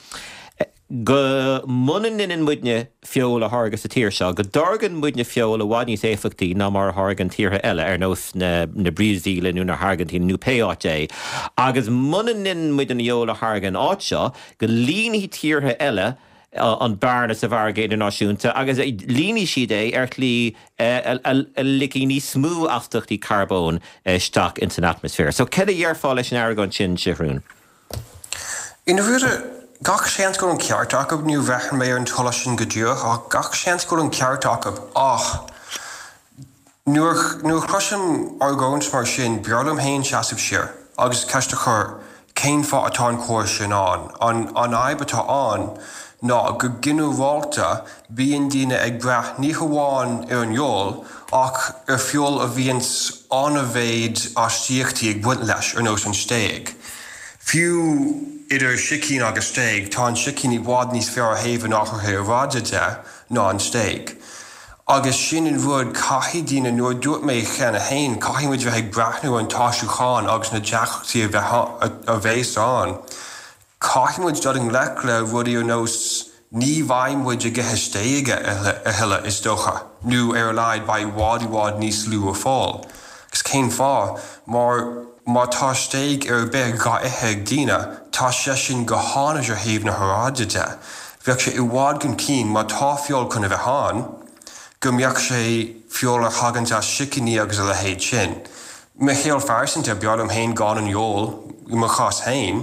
go muna ndeineann muidne feoil a tháirgeadh sa tír seo, go dtáirgeann muidne feoil i bhfad níos éifeachtaí ná mar a tháirgeann tíortha eile, ar nós na Brasaíle nó na hAirgintíne nó pé áit é, agus muna ndeineann muid an fheoil a tháirgeadh an áit seo, go líonfaidh tíortha eile an bearna sa mhargadh idirnáisiúnta agus líonfaidh siad é ar shlí a ligfidh níos mó astaíochtaí carbóin isteach ins an atmaisféar. So céard a dhéarfá leis an argóint sin, Seathrún? I ndáiríre, gach seans go bhfuil an ceart acu, níor bhreathnaigh mé ar an t-eolas sin go díreach, ach gach seans go bhfuil an ceart acu. Ach nuair a chloisim argóint mar sin, b'fhearr liom féin seasamh siar agus ceist a chur, cén fáth atá an córas sin ann? An fhadhb atá ann ná go ginearálta bíonn daoine ag brath ní hamháin ar an fheoil ach ar feoil a bhíonns an-mhéid astaíochtaí ag baint leis, ar nós an stéig. Fiú idir sicín agus stéig, tá an sicín i bhfad níos fearr ó thaobh an athraithe aeráide de ná an stéig. Agus sin an rud, caithfidh daoine, nuair a dúirt mé cheana féin, caithfidh muid bheith ag breathnú ar an t-aistriúchán agus na deacrachtaí a bheas ann. Caithfidh muid dul i ngleic le rudaí ar nós ní bheidh muid ag ithe stéige a thuilleadh, is dócha, nó ar a laghad beidh i bhfad i bhfad níos lú ar fáil. Agus cén fáth? Mar má tá stéig ar bith dhá ithe ag daoine, tá sé sin go hainnis ó thaobh na haeráide de. Bheadh sé i bhfad chun cinn má tá feoil chun a bheith ann, go mbeadh sé feoil a thaganns as sicíní agus a leithéid sin. Mo shaol phearsanta, b'fhearr liom féin gan an fheoil, i mo chás féin,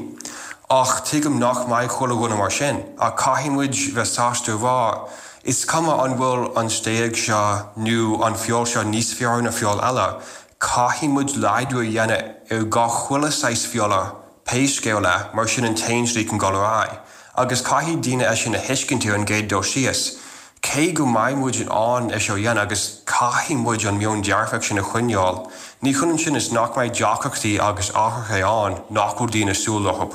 ach tuigim nach mbeidh chuile dhuine mar sin. Ach caithfidh muid bheith sásta a rá, is cuma an bhfuil an stéig seo nó an feoil seo níos fearr ná feoil eile, caithfidh muid laghdú a dhéanamh ar gach chuile saghas feola, pé scéal é, mar sin an t-aon slí chun dul ar aghaidh. Agus caithfidh daoine é sin a thuiscint ar an gcéad dul síos. Cé go mbeidh muid in ann é seo a dhéanamh agus caithfidh muid an meon dearfach sin a choinneáil, ní hionann sin is nach mbeidh deacrachtaí agus athruithe ann nach bhfuil daoine ag súil leo.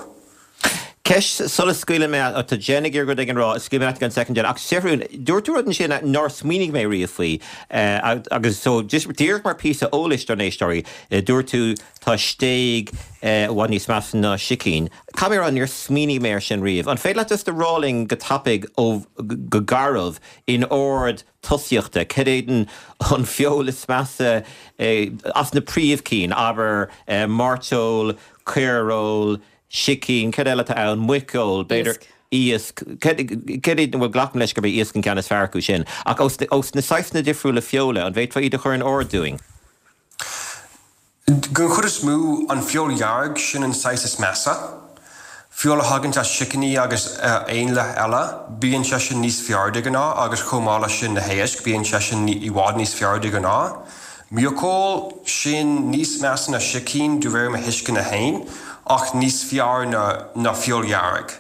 Ceist sula scaoileann mé, tá Jen ag iarraidh rud éigin a rá, scaoilfidh mé leat i gceann soicind Jen, ach Seathrún, dúirt tú rud ansin nár smaoinigh mé riamh faoi, agus so just díreach mar píosa eolais dár n-éisteoirí, dúirt tú tá stéig i bhfad níos measa ná sicín. Caithfidh mé a rá, níor smaoinigh mé air sin riamh. An féidir leat just a rá linn go tapaidh, ó, go garbh, in ord tosaíochta, cad é an feoil is measa as na príomhchinn, abair, mairteoil, caoireoil, sicín, cad eile atá ann, muiceoil, b'fhéidir, iasc, cad é, bhuel glacaim leis gurb é iasc an ceann is fearr acu sin, ach ós na saghsanna difriúla feola, an bhféadfá iad a chur in ord dúinn? Den chuid is mó, an feoil dhearg, sin an saghas is measa. Feoil a thaganns as sicíní agus éanlaith eile, bíonn sé sin níos fearr de ghnáth agus chomh maith leis sin na héisc, bíonn sé sin i bhfad níos fearr de ghnáth. Muiceoil, sin níos measa ná sicín de réir mo thuisceana fhéin. ach níos fearr ná ná feoil dhearg.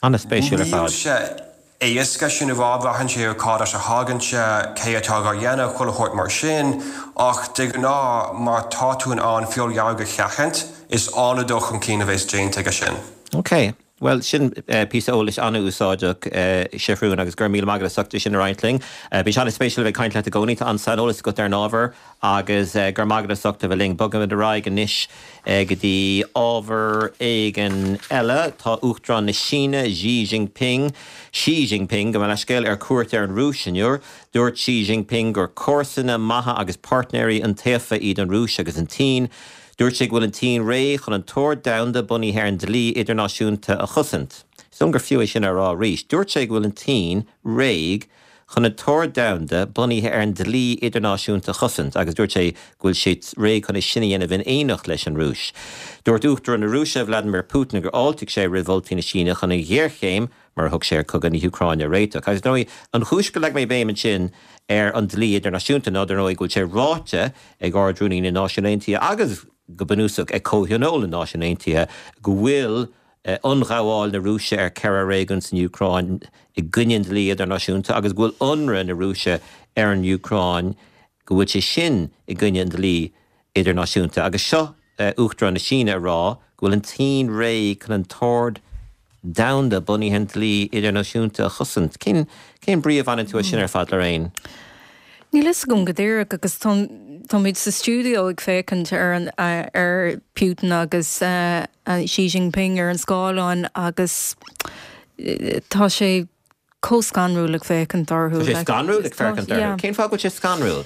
An-spéisiúil ar Níl fad. sé éasca sin a rá, braitheann sé ar cad as a thagann sé, cé atá dhá dhéanamh, chuile shórt mar sin, ach de ghnáth má tá tú in ann feoil dhearg a sheachaint, is an-dul chun cinn a bheas déanta aige sin. Ok. Bhuel, sin píosa eolais an-úsáideach, Seathrún, agus go raibh míle maith agat as ucht é sin a roinnt linn. Bíonn sé an-spéisiúil a bheith ag caint leat i gcónaí, tá an-saineolas agat ar an ábhar agus go raibh maith agat as ucht a bheith linn. Bogfaimid ar aghaidh anois go dtí ábhar éigin eile. Tá Uachtarán na Síne, Xi Jinping, Xi Jinping, gabh mo leithscéal, ar cuairt ar an Rúis inniu. Dúirt Xi Jinping gur comharsana maithe agus páirtnéirí iontaofa iad an Rúis agus an tSín. Dúirt sé go bhfuil an tSín réidh chun an t-ord domhanda bunaithe ar an dlí idirnáisiúnta a chosaint. Is dóigh liom gur fiú é sin a rá arís. Dúirt sé go bhfuil an tSín réidh chun an t-ord domhanda bunaithe ar an dlí idirnáisiúnta a chosaint agus dúirt sé go bhfuil siad réidh chun é sin a dhéanamh in éineacht leis an Rúis. Dúirt Uachtarán na Rúise, Vladimir Putin gur fháiltigh sé roimh mholtaí na Síne chun an ghéarchéim mar a thug sé ar chogadh na hÚcráine a réiteach. Agus dar ndóigh, an chúis gur leag mé béim ansin ar an dlí idirnáisiúnta ná dar ndóigh go bhfuil sé ráite ag Ard-Rúnaí na Náisiún Aontaithe agus go bunúsach ag Comhthionól na Náisiún Aontaithe go bhfuil ionghabháil na Rúise ar cheithre réigiún san Úcráin i gcoinne an dlí idirnáisiúnta agus go bhfuil ionradh na Rúise ar an Úcráin go bhfuil sé sin i gcoinne an dlí idirnáisiúnta. Agus seo Uachtarán na Síne ag rá go bhfuil an tSín réidh chun an t-ord domhanda bunaithe ar an dlí idirnáisiúnta a chosaint. Cén cén brí a bhaineann tú as sin ar fad, Lorraine? Níl fhios agam go díreach agus táimid sa stiúideo ag féachaint ar an ar Putin agus Xi Jinping ar an scáileán agus tá sé chomh scanrúil ag féachaint orthu. Tá sé scanrúil ag féachaint orthu? Cén fáth go bhfuil sé scanrúil?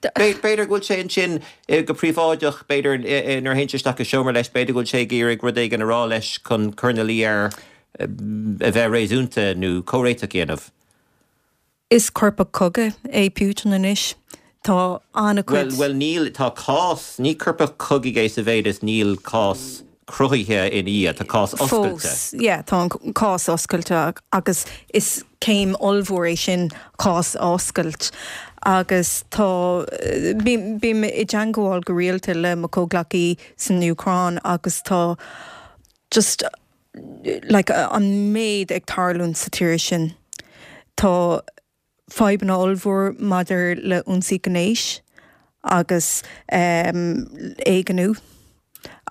B'fhéidir go bhfuil sé ansin go príobháideach, b'fhéidir nuair a théann sé isteach i seomra leis, b'fhéidir go bhfuil sé ag iarraidh rud éigin a rá leis chun cur ina luí air a bheith réasúnta nó comhréiteach a dhéanamh. Is coirpeach cogaidh é Putin anois. Tá an-chuid. Bhuel, níl, tá cás, ní coirpeach cogaidh é sa mhéid is níl cás cruthaithe ina dhiaidh, tá cás oscailte. Fós, yeah, tá an cás oscailte agus is céim ollmhór é sin cás a oscailt agus tá, bím, bím i dteangmháil go rialta le mo chomhghleacaí san Úcráin agus tá just like an méid ag tarlúint sa tír sin. Tá fadhbanna ollmhór maidir le ionsaí gnéis agus éigniú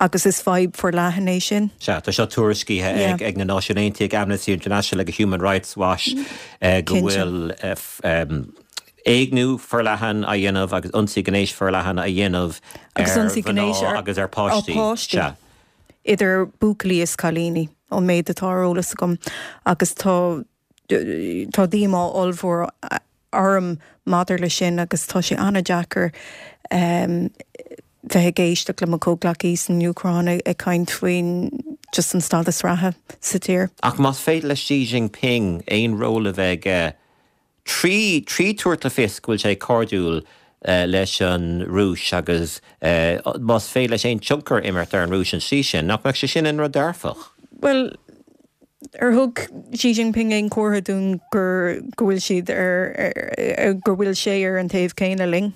agus is fadhb forleathan é sin. Sea, tá seo tuairiscithe ag na Náisiúin Aontaithe, ag Amnesty International, ag Human Rights Watch go bhfuil éigniú forleathan á dhéanamh agus ionsaí gnéis forleathan á dhéanamh ar mhná agus ar pháistí. Sea. Idir buachaillí is cailíní, ón méid atá ar eolas agam agus tá Tá díomá ollmhór orm maidir leis sin agus tá sé an-deacair bheith ag éisteacht le mo chomhghleacaí san Úcráin ag caint faoin just an stádas reatha sa tír. Ach más féidir le Xi Jinping aon ról a bheith aige 3 3 tabhairt le fios go bhfuil sé cairdiúil leis an Rúis agus más féidir leis aon tionchar a imirt ar an Rúis an tslí sin, nach mbeadh sé sin ina rud dearfach? Bhuel, ar thug Xi Jinping aon chomhartha dúinn gur, go bhfuil siad ar, go bhfuil sé ar an taobh céanna linn?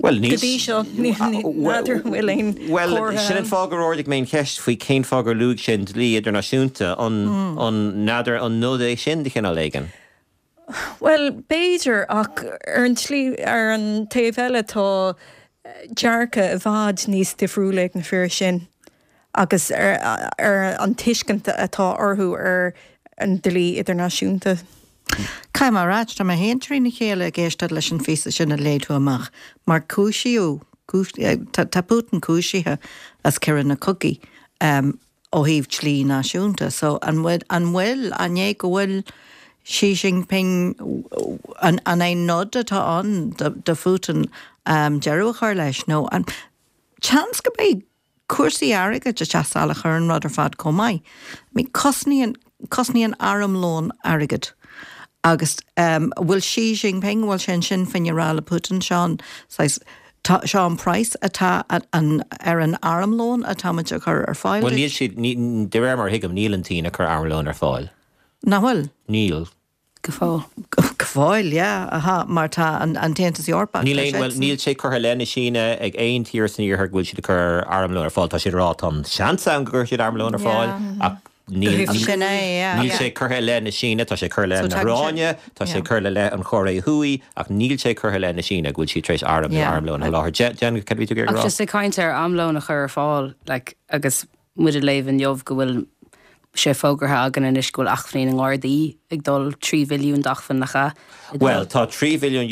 Bhuel, níl. Go dtí seo, n'fheadar an bhfuil aon Bhuel, chomhartha sin an ann. fáth gur ardaigh mé an cheist faoi cén fáth gur luaigh sé an dlí idirnáisiúnta. An, an, n'fheadar an nod é sin de chineál éigin? Bhuel, b'fhéidir, ach ar an tslí, ar an taobh eile tá dearcadh i bhfad níos difriúla ag na fir sin agus ar an tuiscint atá orthu ar an dlí idirnáisiúnta. Caithfidh mé a ráit, tá mé féin trína chéile ag éisteacht leis an phíosa sin a léigh tú amach, mar cúisíodh, tá Putin cúisithe as coireanna cogaidh ó thaobh dlí náisiúnta, so an bhfuil, an bhfuil, an é go bhfuil Xi Jinping, an é nod atá ann do Phutin deireadh a chur leis nó an, seans go mbeidh cúrsaí airgid ag teacht salach ar an rud ar fad chomh maith. I mean, cosnaíonn, cosnaíonn armlón airgead. Agus um, bhfuil Xi Jinping, bhfuil sé ansin féin ag rá le Putin, seo an saghas, tá, seo an praghas atá an, ar an armlón atá muid a chur ar fáil Bhuel, níl siad, ní, de réir mar a thuigim, níl an tSín ag cur armlón ar fáil. Nach bhfuil? Níl. Go fóill. Go. fóill, yeah, aha, mar tá an tAontas Eorpach, Níl aon, bhuel, níl sé curtha i leith na Síne ag aon tír san Iarthar go bhfuil siad ag cur armlóin ar fáil. Tá siad ag rá tá an seans ann go gcuirfidh siad armlón ar fáil ach níl, Sin é, yeah. níl sé curtha i leith na Síne, tá sé curtha i leith na hIoráine, tá sé curtha i leith an Chóiré Thuaidh ach níl sé curtha i leith na Síne go bhfuil siad tar éis arm nó armlón a sholáthar. Jen, cad a bhí tú ag iarraidh a Ach rá? just ag caint ar armlón a chur ar fáil, like, agus muid ag léamh inniu go bhfuil sé fógartha againn anois go bhfuil acmhainní na nGardaí ag dul, 3 bhilliún d'acmhainn, nach ea? ag dul. Bhuel, tá €3 bhilliún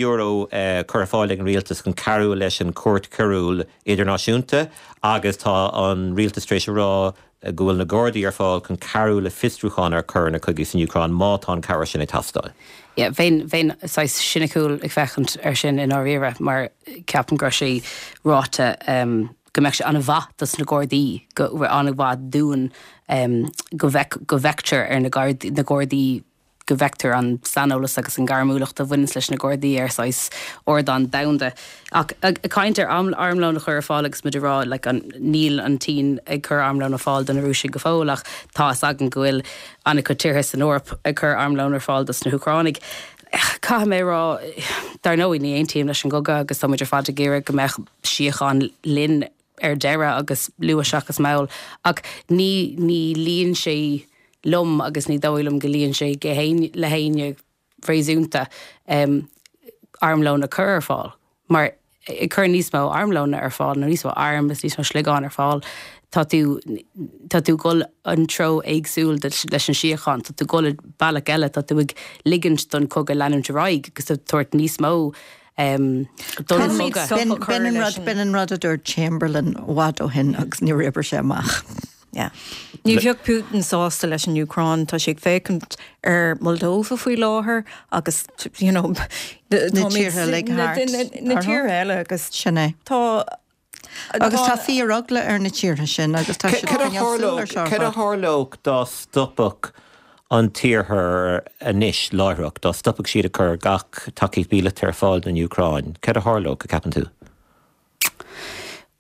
curtha ar fáil ag an rialtas chun cabhrú leis an Chúirt Choiriúil Idirnáisiúnta agus tá an rialtas tar éis a rá go bhfuil na Gardaí ar fáil chun cabhrú le fiosrúchán ar choireanna cogaidh san Úcráin má tá an chabhair sin ag teastáil. Yeah, bheinn, bheinn saghas siniciúil ag féachaint air sin i ndáiríre mar ceapaim go raibh sé ráite go mbeadh sé an-mhaith dos na Gardaí, go an-mhaith dúinn go bhfeic, go bhfeictear ar na Gardaí, na Gardaí, go bhfeictear an saineolas agus an gairmiúlacht a bhaineanns leis na Gardaí ar saghas ardán domhanda. Ach ag caint ar armlón a chur ar fáil agus muid ag rá like an, níl an tSín ag cur armlón ar fáil do na Rúisigh go fóill ach tá fhios againn go bhfuil an-chuid tíortha san Eoraip ag cur armlón ar fáil dos na hÚcránaigh. Caithfidh mé a rá, dar ndóigh ní aontaím leis an gcogadh agus tá muid ar fad ag iarraidh go mbeadh síocháin linn ar deireadh agus luath seachas mall ach ní, ní luíonn sé liom agus ní dóigh liom go luíonn sé le héinne réasúnta armlón a chur ar fáil mar ag cur níos mó armlóna ar fáil nó níos mó arm is níos mó sliogán ar fáil tá tú tá tú ag dul an treo éagsúil leis an síocháin, tá tú ag dul bealach eile, tá tú ag ligint don chogadh leanúint ar aghaidh agus ag tabhairt níos mó don chogadh. B'in an rud, b'in an rud a dúirt Chamberlain i bhfad ó shin agus níor oibrigh sé amach. Yeah. Ní bheadh Putin sásta leis an Úcráin, tá sé ag féachaint ar Moldova faoi láthair agus you know na tíortha uilig thart na tíortha eile agus sin é. Tá Agus tá fíoreagla ar na tíortha sin agus tá siad ag coinneáil súil ar seo ar Cad a fad. tharlódh dá stopfadh an tIarthar anois láithreach, dá stopfadh siad ag cur gach tacaíocht mhíleata ar fáil don Úcráin? Cad a tharlódh, a ceapann tú?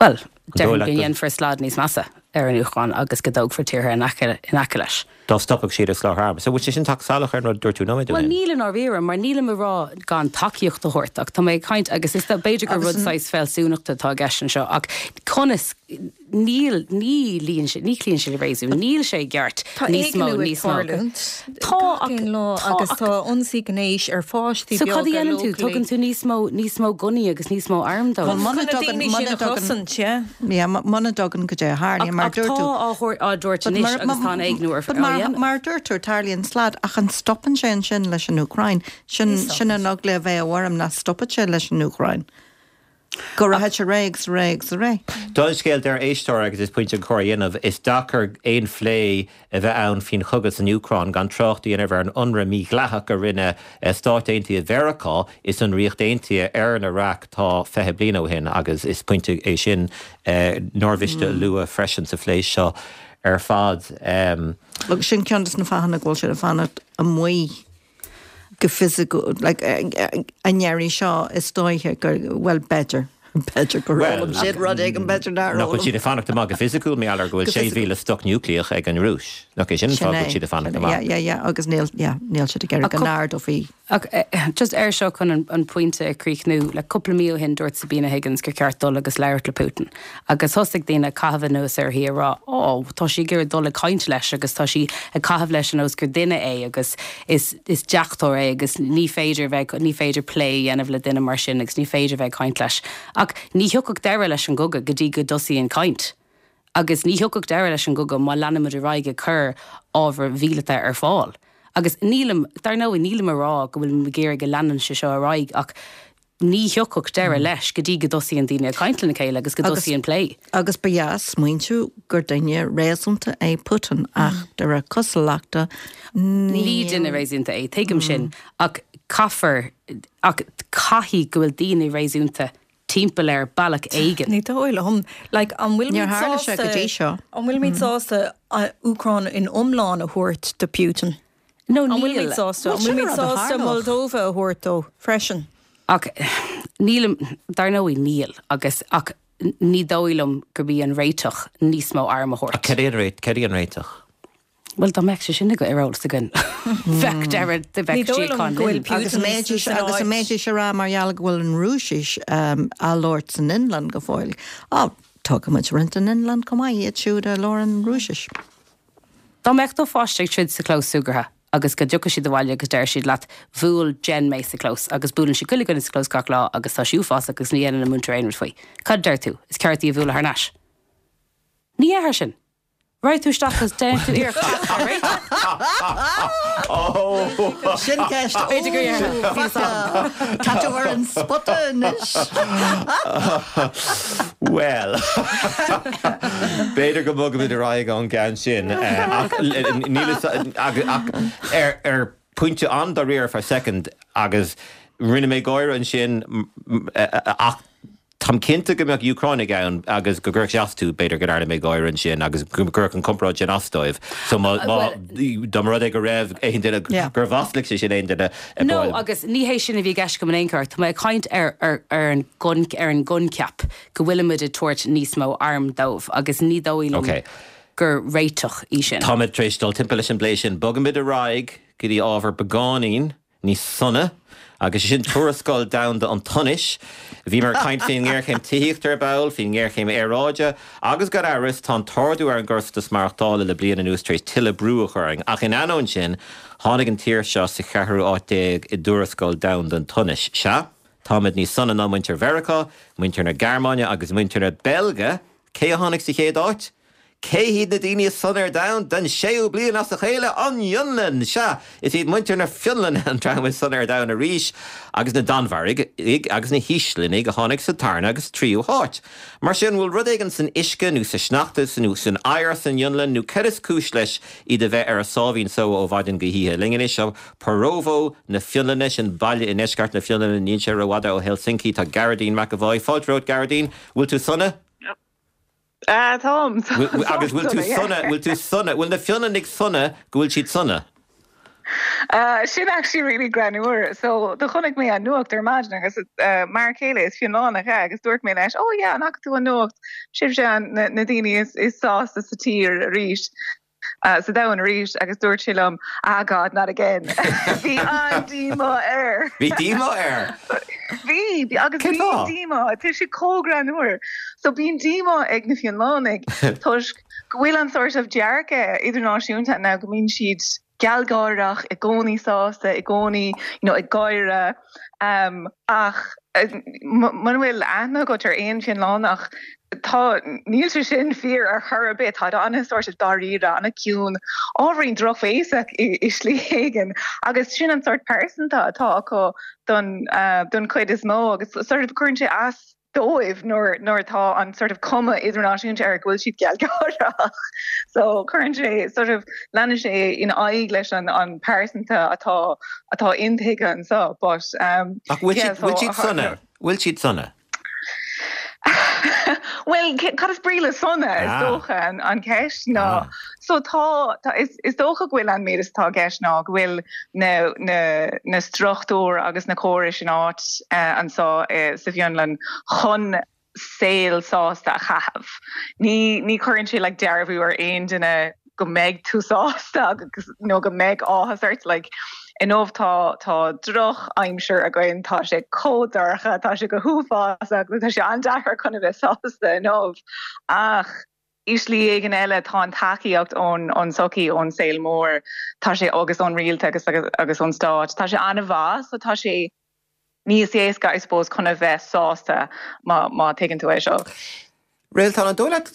Bhuel, déarfainn go ndéanfar slad níos measa ar an Úcráin agus go dtógfar tíortha in aice in aice leis. Dá stopfadh siad ag soláthar arm. So bhfuil sé sin ag teacht salach ar an rud a dúirt tú nóiméad ó Bhuel, shin? níl i ndáiríre, mar nílim ag rá gan tacaíocht a thabhairt ach tá mé ag caint agus is b'fhéidir gur rud saghas fealsúnachta atá i gceist anseo ach conas Níl, ní luíonn sé, ní chloíonn sé le réasún, níl sé i gceart Tá níos mó, éigniú ag níos mó. tarlúint Tá, gach ach, aon lá tá, agus ach. tá ionsaí gnéis ar pháistí So cad a beaga dhéanann tú? locally. Tugann tú níos mó, níos mó gunnaí agus níos mó arm dóibh. Bhuel, muna Chun na dtugann, daoine sin muna a dtugann, chosaint, yeah. yeah, muna dtugann goidé a Ach, tharlaíonn, mar ach dúirt tá tú. á thabhairt, á dtabhairt But anois mar, agus tá an éigniú ar, but á mar, dhéanamh. mar a dúirt tú, tarlaíonn slad ach an stopann sé ansin leis an Úcráin? Sin, Ní sin stopann an sé. eagla a bheadh orm nach stopfadh sé leis an Úcráin. Go rachaidh sé ar aghaidh agus ar aghaidh agus ar aghaidh. Dála an scéil, deir éisteoir, agus is pointe an chóir a dhéanamh, is deacair aon phlé a bheith ann faoin chogadh san Úcráin gan trácht a dhéanamh ar an ionradh mídhleathach a rinne Stáit Aontaithe Mheiriceá is an Ríocht Aontaithe ar an Iaráic tá 20 bliain ó shin agus is pointe é sin nár mhiste a lua freisin sa phlé seo ar fad. Agus sin ceann de na fáthanna go bhfuil siad ag fanacht amuigh. go fisiciúil, like, an iarraidh seo is dóiche gur, bhuel, b'fhéidir, b'fhéidir gur fhoghlaim siad rud éigin, b'fhéidir nár Nach bhfuil fhoghlaim. siad ag fanacht amach go fisiciúil, mar gheall ar go bhfuil 6,000 stoc núicléach ag an Rúis. Nach é sin an Sin fáth go é, bhfuil siad ag fanacht sin é, amach? yeah, yeah, yeah, agus níl, yeah, níl siad ag iarraidh go n-ardófaí. Ach just air seo chun an pointe a chríochnú, le cúpla mí ó shin dúirt Sabina Higgins gur cheart dul agus labhairt le Putin. Agus thosaigh daoine ag caitheamh anuas uirthi ag rá, Ó, tá sí ag iarraidh dul ag caint leis agus tá sí ag caitheamh leis ar nós gur duine é agus is is deachtóir é agus ní féidir bheith, ní féidir plé a dhéanamh le duine mar sin agus ní féidir bheith ag caint leis. Ach ní thiocfadh deireadh leis an gcogadh go dtí go dtosaíonn caint. Agus ní thiocfadh deireadh leis an gcogadh má leanaimid ar aghaidh ag cur ábhair mhíleata ar fáil. Agus nílim, dar ndóigh, nílim ag rá go bhfuilim ag iarraidh go leanann sé seo ar aghaidh ach ní thiocfadh deireadh leis go dtí go dtosaíonn daoine ag caint lena chéile agus go dtosaíonn plé. Agus ba dheas smaointiú gur duine réasúnta é Putin ach de réir cosúlachta ní. Ní duine réasúnta é, tuigim sin, ach caithfear, ach caithfidh go bhfuil daoine réasúnta timpeall air bealach éigin. Ní dóigh liom. Like, an bhfuilimid Níor tharla sé go dtí seo. An bhfuilimid sásta Úcráin in iomlán a thabhairt do Putin? No, An níl. bhfuilimid sásta? Bhuel, An sin bhfuilimid an rud a sásta tharlódh. Moldova a thabhairt dó freisin? Ach nílim, dar ndóigh níl, agus, ach ní dóigh liom gurb í an réiteach níos mó arm a Ach thabhairt. cad é an réiteach? Bhuel, dá mbeadh sé sin ar eolas againn, bheadh deireadh, bheadh Ní dóigh liom síocháin go bhfuil linn. Agus Putin an mbeidís, san agus an áit. mbeidís ag rá mar gheall go bhfuil an Rúisis á labhairt san Fhionlainn go fóill, á, tógfaidh muid roinnt den Fhionlainn chomh maith, iad siúd a labhrann Rúisis. Dá mbeadh do pháiste ag troid sa chlós súgartha agus go dtiocfadh siad abhaile agus deir siad leat, bhuail Jen mé sa chlós agus buaileann sí chuile dhuine sa chlós gach lá agus tá sí uafásach agus ní dhéanann an múinteoir aon rud faoi. Cad a deir tú? Is ceart í a bhualadh thar n-ais. Ní dhéarfá sin. Raghaidh tú isteach agus déanfaidh tú iarracht teacht ar réiteach. Sin ceist. B'fhéidir gur dhéarfá. Tá tú ar an spota anois. Bhuel, b'fhéidir go mbogfaimid ar aghaidh ón gceann sin. Ach níl a fhios ach ar pointe an-dáiríre for a second agus rinne mé gáire ansin ach Táim cinnte go mbeadh Úcránaigh ann agus go gcuirfeadh sé as dóibh, b'fhéidir go ndearna mé gáire ansin agus go gcuirfeadh an comparáid sin as dóibh. So má, má, dá mba rud é go raibh aon duine, gur mhaslaigh sé sin aon duine, No, agus ní hé sin a bhí i gceist agam in aon chor. Tá mé ag caint ar, ar, ar an gcon, ar an gcoincheap go bhfuilimid ag tabhairt níos mó arm dóibh agus ní dóigh liom gur réiteach í sin. Táimid tar éis dul timpeall leis an bplé sin. Bogaimid ar aghaidh go dtí ábhar beagáinín níos sona, agus sé sin Tuarascáil Domhanda an tSonais. Bhíomar ag caint faoin ngéarchéim tithíochta ar ball, faoin ngéarchéim aeráide, agus gan amhras, tá an t-ardú ar an gcostas maireachtála le bliain anuas tar éis tuilleadh brú a chur orainn. Ach in ainneoin sin, tháinig an tír seo sa cheathrú áit déag i dTuarascáil Domhanda an tSonais. Sea, táimid níos sona ná muintir Mheiriceá, muintir na Gearmáine agus muintir na Beilge! Cé a tháinig sa chéad áit? Cé hiad na daoine is sona ar domhan den séú bliain as a chéile? An Fhionlainn! Sea, is iad muintir na Fionlainne an dream is sona ar domhan arís, agus na Danmhairgigh agus na hÍoslannaigh a tháinig sa tarna agus tríú háit. Mar sin, bhfuil rud éigin san uisce nó sa sneachta nó san oighear san Fhionlainn nó cad is cúis leis iad a bheith ar a sáimhín só ó mhaidin go hoíche? Linn anois ó Porvoo na Fionlainne, sin baile i ndeisceart na Fionlainne, níl sé rófhada ó Helsinki, tá Gearóidín McEvoy. Fáilte romhat, Gearóidín. Bhfuil tú sona? Táim. Agus bhfuil tú sona, bhfuil tú sona, bhfuil na Fionlannaigh sona go bhfuil siad sona? Sin actually really greannmhar. So do chonaic mé an nuacht ar maidin agus m'fhear céile is Fionlannach é agus dúirt mé leis, oh yeah, an bhfaca tú an nuacht? Sibhse na daoine is sásta sa tír arís. sa domhan arís agus dúirt sé liom, ah God, not again. Bhí an-díomá air. Bhí díomá air? Bhí, agus Cén bíonn fáth? díomá, tá sé chomh greannmhar. So bíonn díomá ag na Fionlannaigh toisc go bhfuil an sort of dearcadh idirnáisiúnta ann go mbíonn siad gealgháireach, i gcónaí sásta, i gcónaí you know, ag gáire. Um, ach muna bhfuil aithne agat ar aon Fhionlannach, tá, níl sé sin fíor ar chor ar bith. Táid an-sort of dáiríre, an-ciúin, ábhairín drochbhéasach i slí éigin agus sin an sort pearsanta atá acu don, don chuid is mó agus sort of cuireann sé as dóibh nuair nuair atá an sort of cuma idirnáisiúnta air go bhfuil siad gealgháireach. So cuireann sé sort of leanann sé in aghaidh leis an an pearsanta atá atá intuigthe anseo but um Ach bhfuil yeah siad so bhfuil siad sona? Bhfuil siad sona? Bhuel cad is brí le sona is Ah. dócha an an ceist ná Ah. So tá, tá, is, is dócha go bhfuil an méid is atá i gceist ná go bhfuil na, na, na struchtúir agus na córais in áit anseo sa bhFionlainn chun saol sásta a chaitheamh. Ní, ní chuireann sé like dearbhú ar aon duine go mbeidh tú sásta agus, nó go mbeidh áthas ort like inniu tá, tá droch aimsir againn, tá sé chomh dorcha, tá sé go huafásach, tá sé an-deacair chun a bheith sásta inniu ach I slí éigin eile, tá an tacaíocht ón tsochaí, ón saol mór, tá sé, agus ón rialtas agus ón stát, tá sé an-mhaith, so tá sé níos éasca, I suppose, chun a bheith sásta, má tuigeann tú é seo. Réaltán, an dóigh leat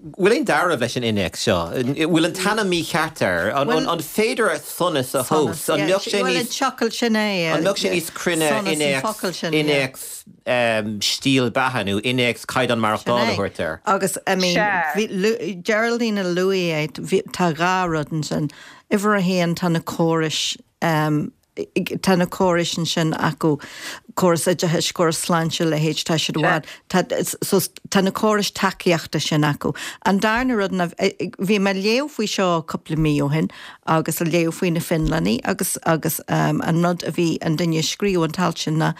bhfuil aon dealramh leis an innéacs seo? Bhfuil an t-ainm mícheart air? An féidir sonas a thomhas? An mbeadh sé níos, an mbeadh sé níos cruinne innéacs, innéacs stíl beatha nó innéacs caighdeán maireachtála a thabhairt air. Agus, I mean, bhí, Geraldine a luaigh é, bhí, tá dhá rud ansin. Uimhir a haon, tá na córais, tá na córais ansin acu, córas oideachais, córas sláinte, a leithéid, tá siad i bhfad, tá, so tá na córais tacaíochta sin acu. An darna rud ná, bhí mé ag léamh faoi seo cúpla mí ó shin agus ag léamh faoi na Fionlannaigh agus, agus an rud a bhí an duine a scríobh an t-alt sin ná,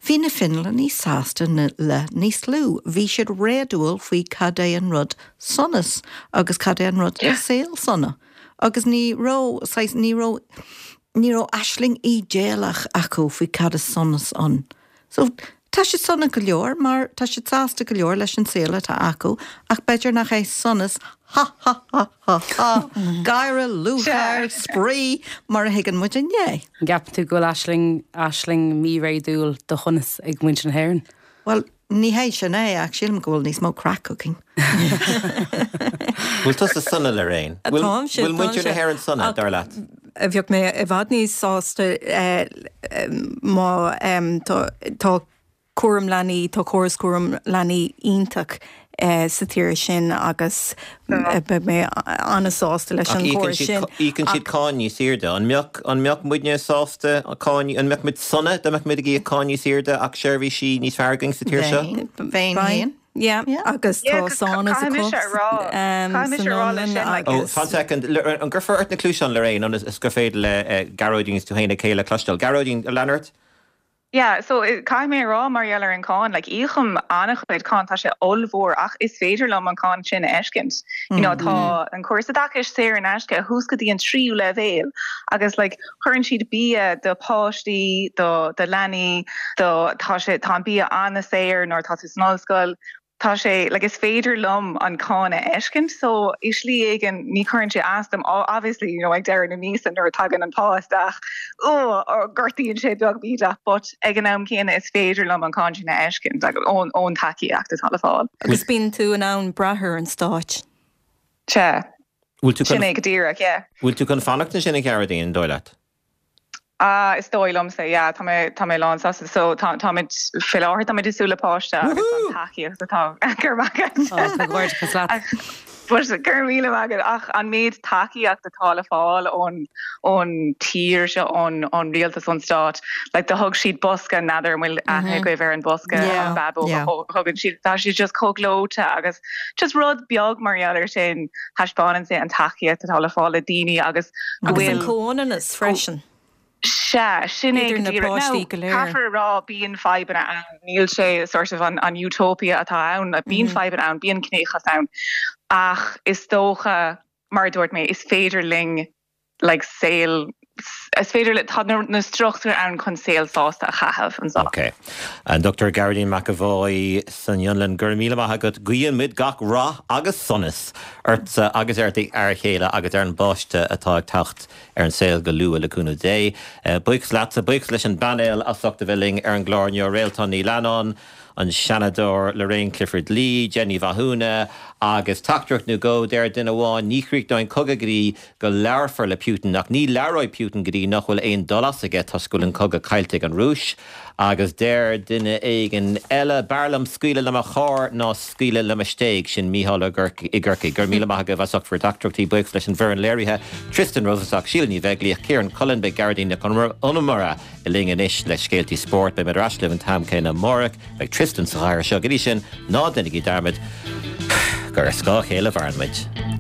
Bhí na Fionlannaigh sásta le níos lú. Bhí siad réadúil faoi cad é an rud sonas agus cad é an rud saol sona. Agus ní raibh, saghas, ní raibh, ní raibh aisling ídéalach acu faoi cad is sonas ann. So, tá siad sona go leor mar tá siad sásta go leor leis an saol atá acu ach b'fhéidir nach é sonas ha ha ha ha ha, gáire, lúcháir, spraoi mar a thuigeann muid inné. An gceapann tú go bhfuil aisling, aisling mí-réadúil de shonas ag muintir na hÉireann? Bhuel, ní hé sin é ach sílim go bhfuil níos mó craic againn. Bhfuil tusa sona, Lorraine? Táimse, Bhfuil muintir na hÉireann sona, dar leat? Bheadh mé i bhfad níos sásta má tá cúram leanaí, tá córas cúram leanaí iontach sa tír sin agus beidh mé an-sásta leis an chóras sin. Ach íocann siad cáin níos airde. An mbeadh, an mbeadh muidne sásta cáin, an mbeadh muid sona dá mbeadh muid ag íoc cáin níos airde ach seirbhísí níos fearr againn sa tír seo? Bheinn féin. Yeah, agus tá sánas acu san Fhionlainn agus. Oh, fan soicind. An gcuirfeá ort na cluaiseáin, Lorraine, ionas is gur féidir le Gearóidín agus tú féin a chéile a chloisteáil. Gearóidín, lean ort. Yeah, so caithfidh mé a rá mar gheall ar an cáin, like íocaim an-chuid cáin, tá sé ollmhór ach is féidir liom an cáin sin a fheiscint. You know, tá an córas oideachais saor in aisce thuas go dtí an tríú leibhéal agus like cuireann siad bia do pháistí, do do leanaí, do tá sé tá an bia an-saor nuair atá tú san ollscoil. Tá sé like is féidir liom an cáin a fheiscint so i slí éigin ní chuireann sé as dom obviously you know ag deireadh na míosa nuair a tagann an pá isteach oh gortaíonn sé beag bídeach but ag an am céanna is féidir liom an cáin sin a fheiscint agus ón ón tacaíocht atá le fáil. Agus bíonn tú in ann brath ar an stáit. Sea. Bhfuil tú chun Sin é go díreach, yeah. Bhfuil tú chun fanacht ansin a Ghearóidín, an dóigh leat? Ah, is dóigh liomsa, yeah, tá mé, tá mé lán sásta. So, tá, táimid, faoi láthair táimid ag súil le páiste agus an tacaíocht atá, go raibh maith agat. Oh, comhghairdeachas leat. But, go raibh míle maith agat, ach an méid tacaíocht atá le fáil ón, ón tír seo, ón, ón rialtas, ón stát, like, do thug siad bosca, n'fheadar an bhfuil aithne agaibh ar an bosca, an bábóg a thugann siad, tá siad just chomh gleoite agus just rud beag mar gheall ar sin, taispeánann sé an tacaíocht atá le fáil le daoine agus go bhfuil. Agus an comhionannas freisin. Sea, sin é go díreach. Idir na páistí go léir. Now, caithfear a rá, bíonn fadhbanna ann, níl sé sort of an utopia atá ann, bíonn fadhbanna ann, bíonn ciníochas ann, ach is dócha, mar a dúirt mé, is féidir linn like saol, is féidir le, tá na struchtúir ann chun saol sásta a chaitheamh anseo. Ok. An Dr Gearóidín McEvoy san Fhionlainn, go raibh míle maith agat. Guíonn muid gach rath agus sonas ortsa agus ar d'fhear chéile agus ar an bpáiste atá ag teacht ar an saol go luath le cúnamh Dé. Buíochas leatsa, buíochas leis an bpainéal as ucht a bheith linn ar an gclár inniu, Réaltán Ní Leannáin, an Seanadóir Lorraine Clifford-Lee, Jen Ní Mhathúna, agus teachtaireacht nó dhó, deir duine amháin, ní chríochnóidh an cogadh go dtí go labharfar le Putin, ach ní labhróidh Putin go dtí nach bhfuil aon dul as aige toisc go bhfuil an cogadh caillte ag an Rúis. Agus deir duine éigin eile, b'fhearr liom scaoileadh le mo charr ná scaoileadh le mo stéig. Sin Mícheál i gCorcaigh. Go raibh míle maith agaibh as ucht bhur dteachtaireachtaí. Buíochas leis an bhfoireann léirithe, Tristan Rosenstock, Síle Ní Bheaglíoch, Ciarán Cullen, beidh Gearóidín Nic Con Iomaire linn anois le scéaltaí spóirt. Beidh muid ar ais libh an t-am céanna amárach. Beidh Tristan sa chathaoir seo. Go dtí sin, ná déanaigí dearmad gur ar scáth a chéile a mhaireann muid.